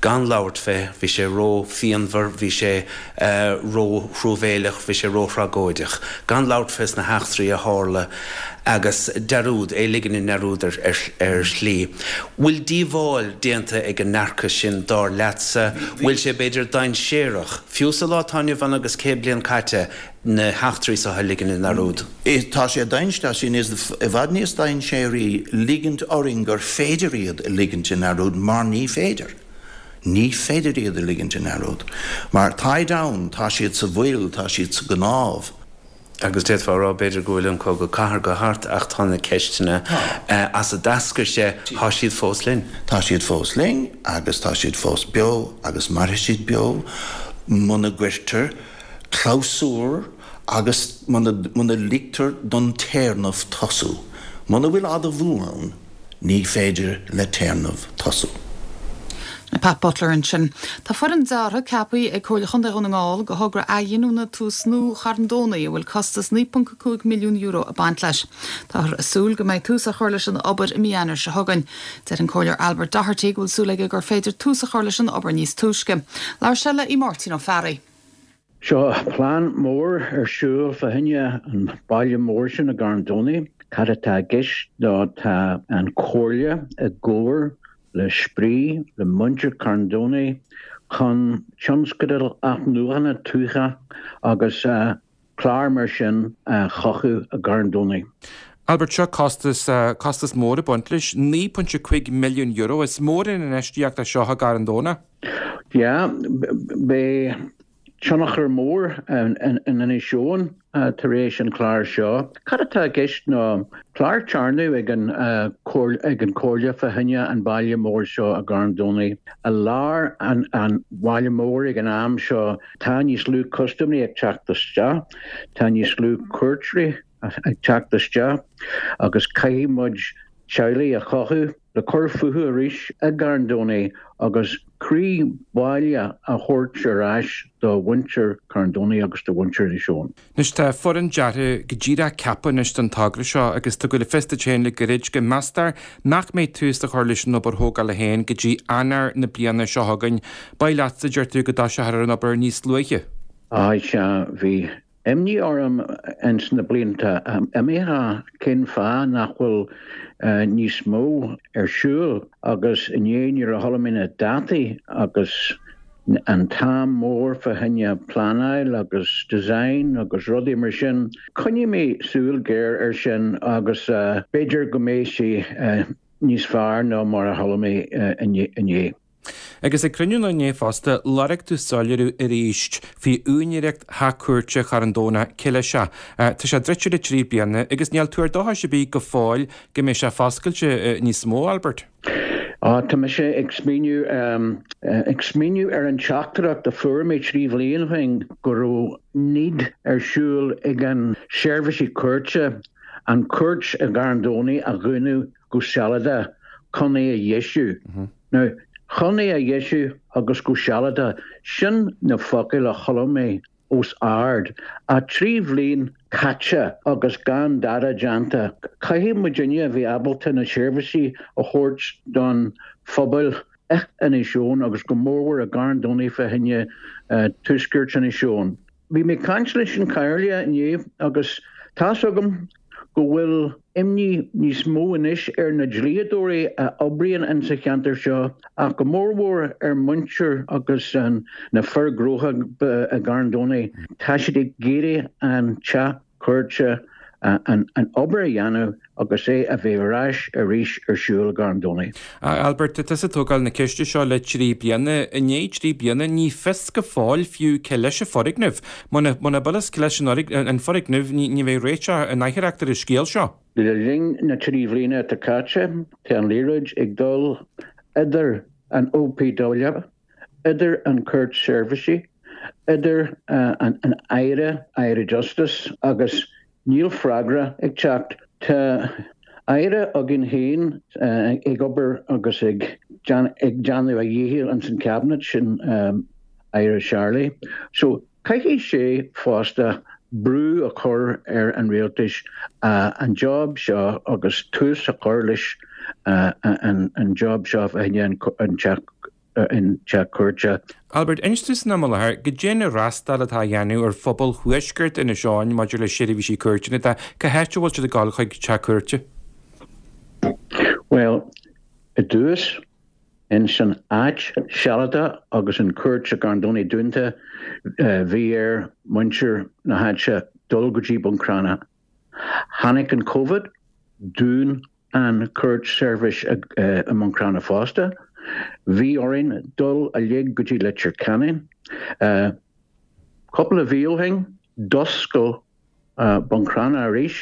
gan labhairt fé, bhí sé ró-phianmhar, bhí sé ró-thruamhéileach, bhí sé ró-thragóideach. Gan labhairt fés na heachtraí a tharla agus dearúd, é a ligean i ndearúd ar shlí. Bhfuil díobháil déanta ag an ndearcadh sin, dar leatsa? Bhfuil sé, b'fhéidir, dainséarach, fiú sa lá atá inniu ann agus 100 bliain caite, na heachtraí seo a ligean i ndearúd? Tá sé dainséarach, tá sé níos, i bhfad níos dainséaraí ligint orainn gur féidir iad a ligint i ndearúd mar ní féidir. Ní féidir iad a ligint i ndearúd. Mar táid ann, tá siad sa bhfuil, tá siad sa gcnámh. Agus d'fhéadfá a rá, b'fhéidir, go bhfuil an Cogadh Cathartha thart ach tá na ceisteanna as a d'eascair sé, tá siad fós linn. Tá siad fós linn agus tá siad fós beo agus mairfidh siad beo muna gcuirtear clabhsúr agus muna ligtear don téarnamh tosú. Muna bhfuil admhú ann, ní féidir le téarnamh tosú. Pat Butler ansin. Tá foireann deartha ceaptha ag Comhairle Chontae Dhún na nGall do thogra athghiniúna Tús Nua Charn Domhnaigh a bhfuil costas €9.5 milliún ag baint leis. Táthar ag súil go mbeidh tús á chur leis an obair i mí Eanáir seo chugainn. Deir an Comhairleoir Albert Doherty go bhfuil súil aige gur féidir tús a chur leis an obair níos túisce. Labhair sé le Máirtín Ó Fearraigh. Seo plean mór ar siúl fá choinne an baile mór sin i gCarn Domhnaigh. Cad atá i gceist ná tá an Chomhairle i gcomhar le Spraoi, le muintir Charn Domhnaigh chun tionscadal athnuachana tuaithe agus clár mar sin a chothú i gCarn Domhnaigh. Albert, seo costas, costas mór ag baint leis, €9.5 milliún. Is mór an infheistíocht é seo i gCarn Domhnach. Yeah, beidh tionchar mór in Inis Eoghain tar éis an clár seo. Cad atá i gceist ná clár téarnaimh ag an ag an Comhairle fá choinne an baile mór seo i gCarn Domhnaigh. I lár an bhaile mór ag an am seo tá níos lú custaiméirí ag teacht isteach, tá níos lú cuairteoirí ag teacht isteach agus caithfidh muid teaghlaigh a chothú le cur fúthu arís i gCarn Domhnaigh agus croí baile a thabhairt ar ais do mhuintir Charn Domhnaigh agus do mhuintir Inis Eoghain. Anois tá foireann deartha go díreach ceaptha anois don togra seo agus tú ag goil le fios duit féin le gairid go meastar nach mbeidh tús á chur leis an obair thógála féin go dtí Eanáir na bliana seo chugainn. Ba mhaith leatsa, deir tú, go dtoiseofar ar an obair níos luaithe. Á, sea, bhí imní orm ins na blianta imithe cén fáth nach bhfuil níos mó ar siúl agus inné nuair a chuala mé na dátaí agus an t-am mór fá choinne pleanáil agus design agus rudaí mar sin, coinneoidh mé súil géar ar sin agus b'fhéidir go mbeidh sé níos fearr ná mar a chuala mé inné. Agus ag cruinniú inné fosta, lorg tú soiléiriú arís faoi úinéireacht Theach Cúirte Charn Domhnach, cé leis é? Tá sé druidte le 3 bliana agus níl tuar dóchais ar bith go fóill go mbeidh sé foscailte níos mó, Albert. Á, tá mise ag smaoineamh, ag smaoineamh ar an teachtaireacht a fuair mé 3 bhliain ó shin go raibh need ar siúl ag an seirbhísí cúirte an cúirt i gCarn Domhnaigh a dhúnadh go sealadach chun é a dheisiú. Now, chun é a dheisiú agus go sealadach, sin na focail a chuala mé os ard. Ach 3 bhliain caite agus gan dada déanta. Caithfidh muidinne a bheith ábalta na seirbhísí a thabhairt don phobal i Inis Eoghain agus go mórmhór i gCarn Domhnaigh fá choinne tuaisceart Inis Eoghain. Bhí mé ag caint leis an Chomhairle inné agus tá's agam go bhfuil imní níos mó anois ar na dlíodóirí a oibríonn in sa cheantar seo ach go mórmhór ar muintir agus na fir gnótha i gCarn Domhnaigh. Tá siad ag iarraidh an teach cúirte an obair a dhéanamh agus é a bheith ar ais arís ar siúl i gCarn Domhnaigh. A Albert, tá tusa ag tógáil na ceiste seo le 3 bliana. I ndiaidh 3 bliana, ní fios go fóill fiú cé leis an foirgneamh. Muna bhfuil fhios cé leis an foirgneamh, ní bheidh réiteach in aitheoireacht ar an scéal seo. Le linn na 3 bhliana atá caite, tá an liathróid ag dul idir an OPW, idir an Cúirt Seirbhísí, idir an Aire, Aire Justice, agus níl freagra ag teacht. Tá Aire againn féin ag obair agus ag déanamh a dhícheall ins an Cabinet, sin Aire Charlie. So caithfidh sé fosta brú a chur ar an Rialtais an job seo agus tús a chur leis an job seo fá choinne an teach an teach cúirte. Albert, inis dom san am i láthair, goidé an fhreastal atá á dhéanamh ar phobal thuaisceart Inis Eoghain maidir le seirbhísí cúirteanna de, cá háit a bhfuil siad ag dul chuig teach cúirte? Bhuel, i dtús, ins an áit sealadach agus an cúirt i gCarn Domhnaigh dúnta, bhí ar muintir na háite dul go dtí Bun Cranncha. Tháinig an Covid, dún an Cúirt Seirbhís i mBun Cranncha fosta. Bhí orainn dul uilig go dtí Leitir Ceanainn. Cúpla mhí ó shin, d'oscail Bun Cranncha arís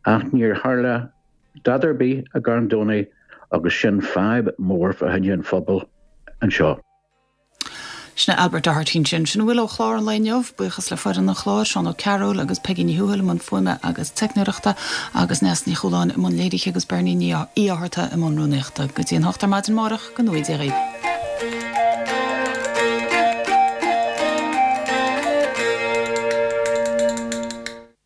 ach níor tharla dada ar bith i gCarn Domhnaigh agus sin fadhb mór fá choinne an phobail anseo. Sin é Albert Doherty ansin. Sin a bhfuil ó chlár an lae inniu. Buíochas le foireann an chláir, Seán Ó Cearúil agus Peigí Ní Thuathail i mbun fuaime agus teicneoireachta agus Neasa Ní Chualáin i mbun léirithe agus Beirní Ní Fhátharta i mbun rúnaíochta. Go dtí an hocht ar maidin amárach, go ngnóthaí Dia dhaoibh.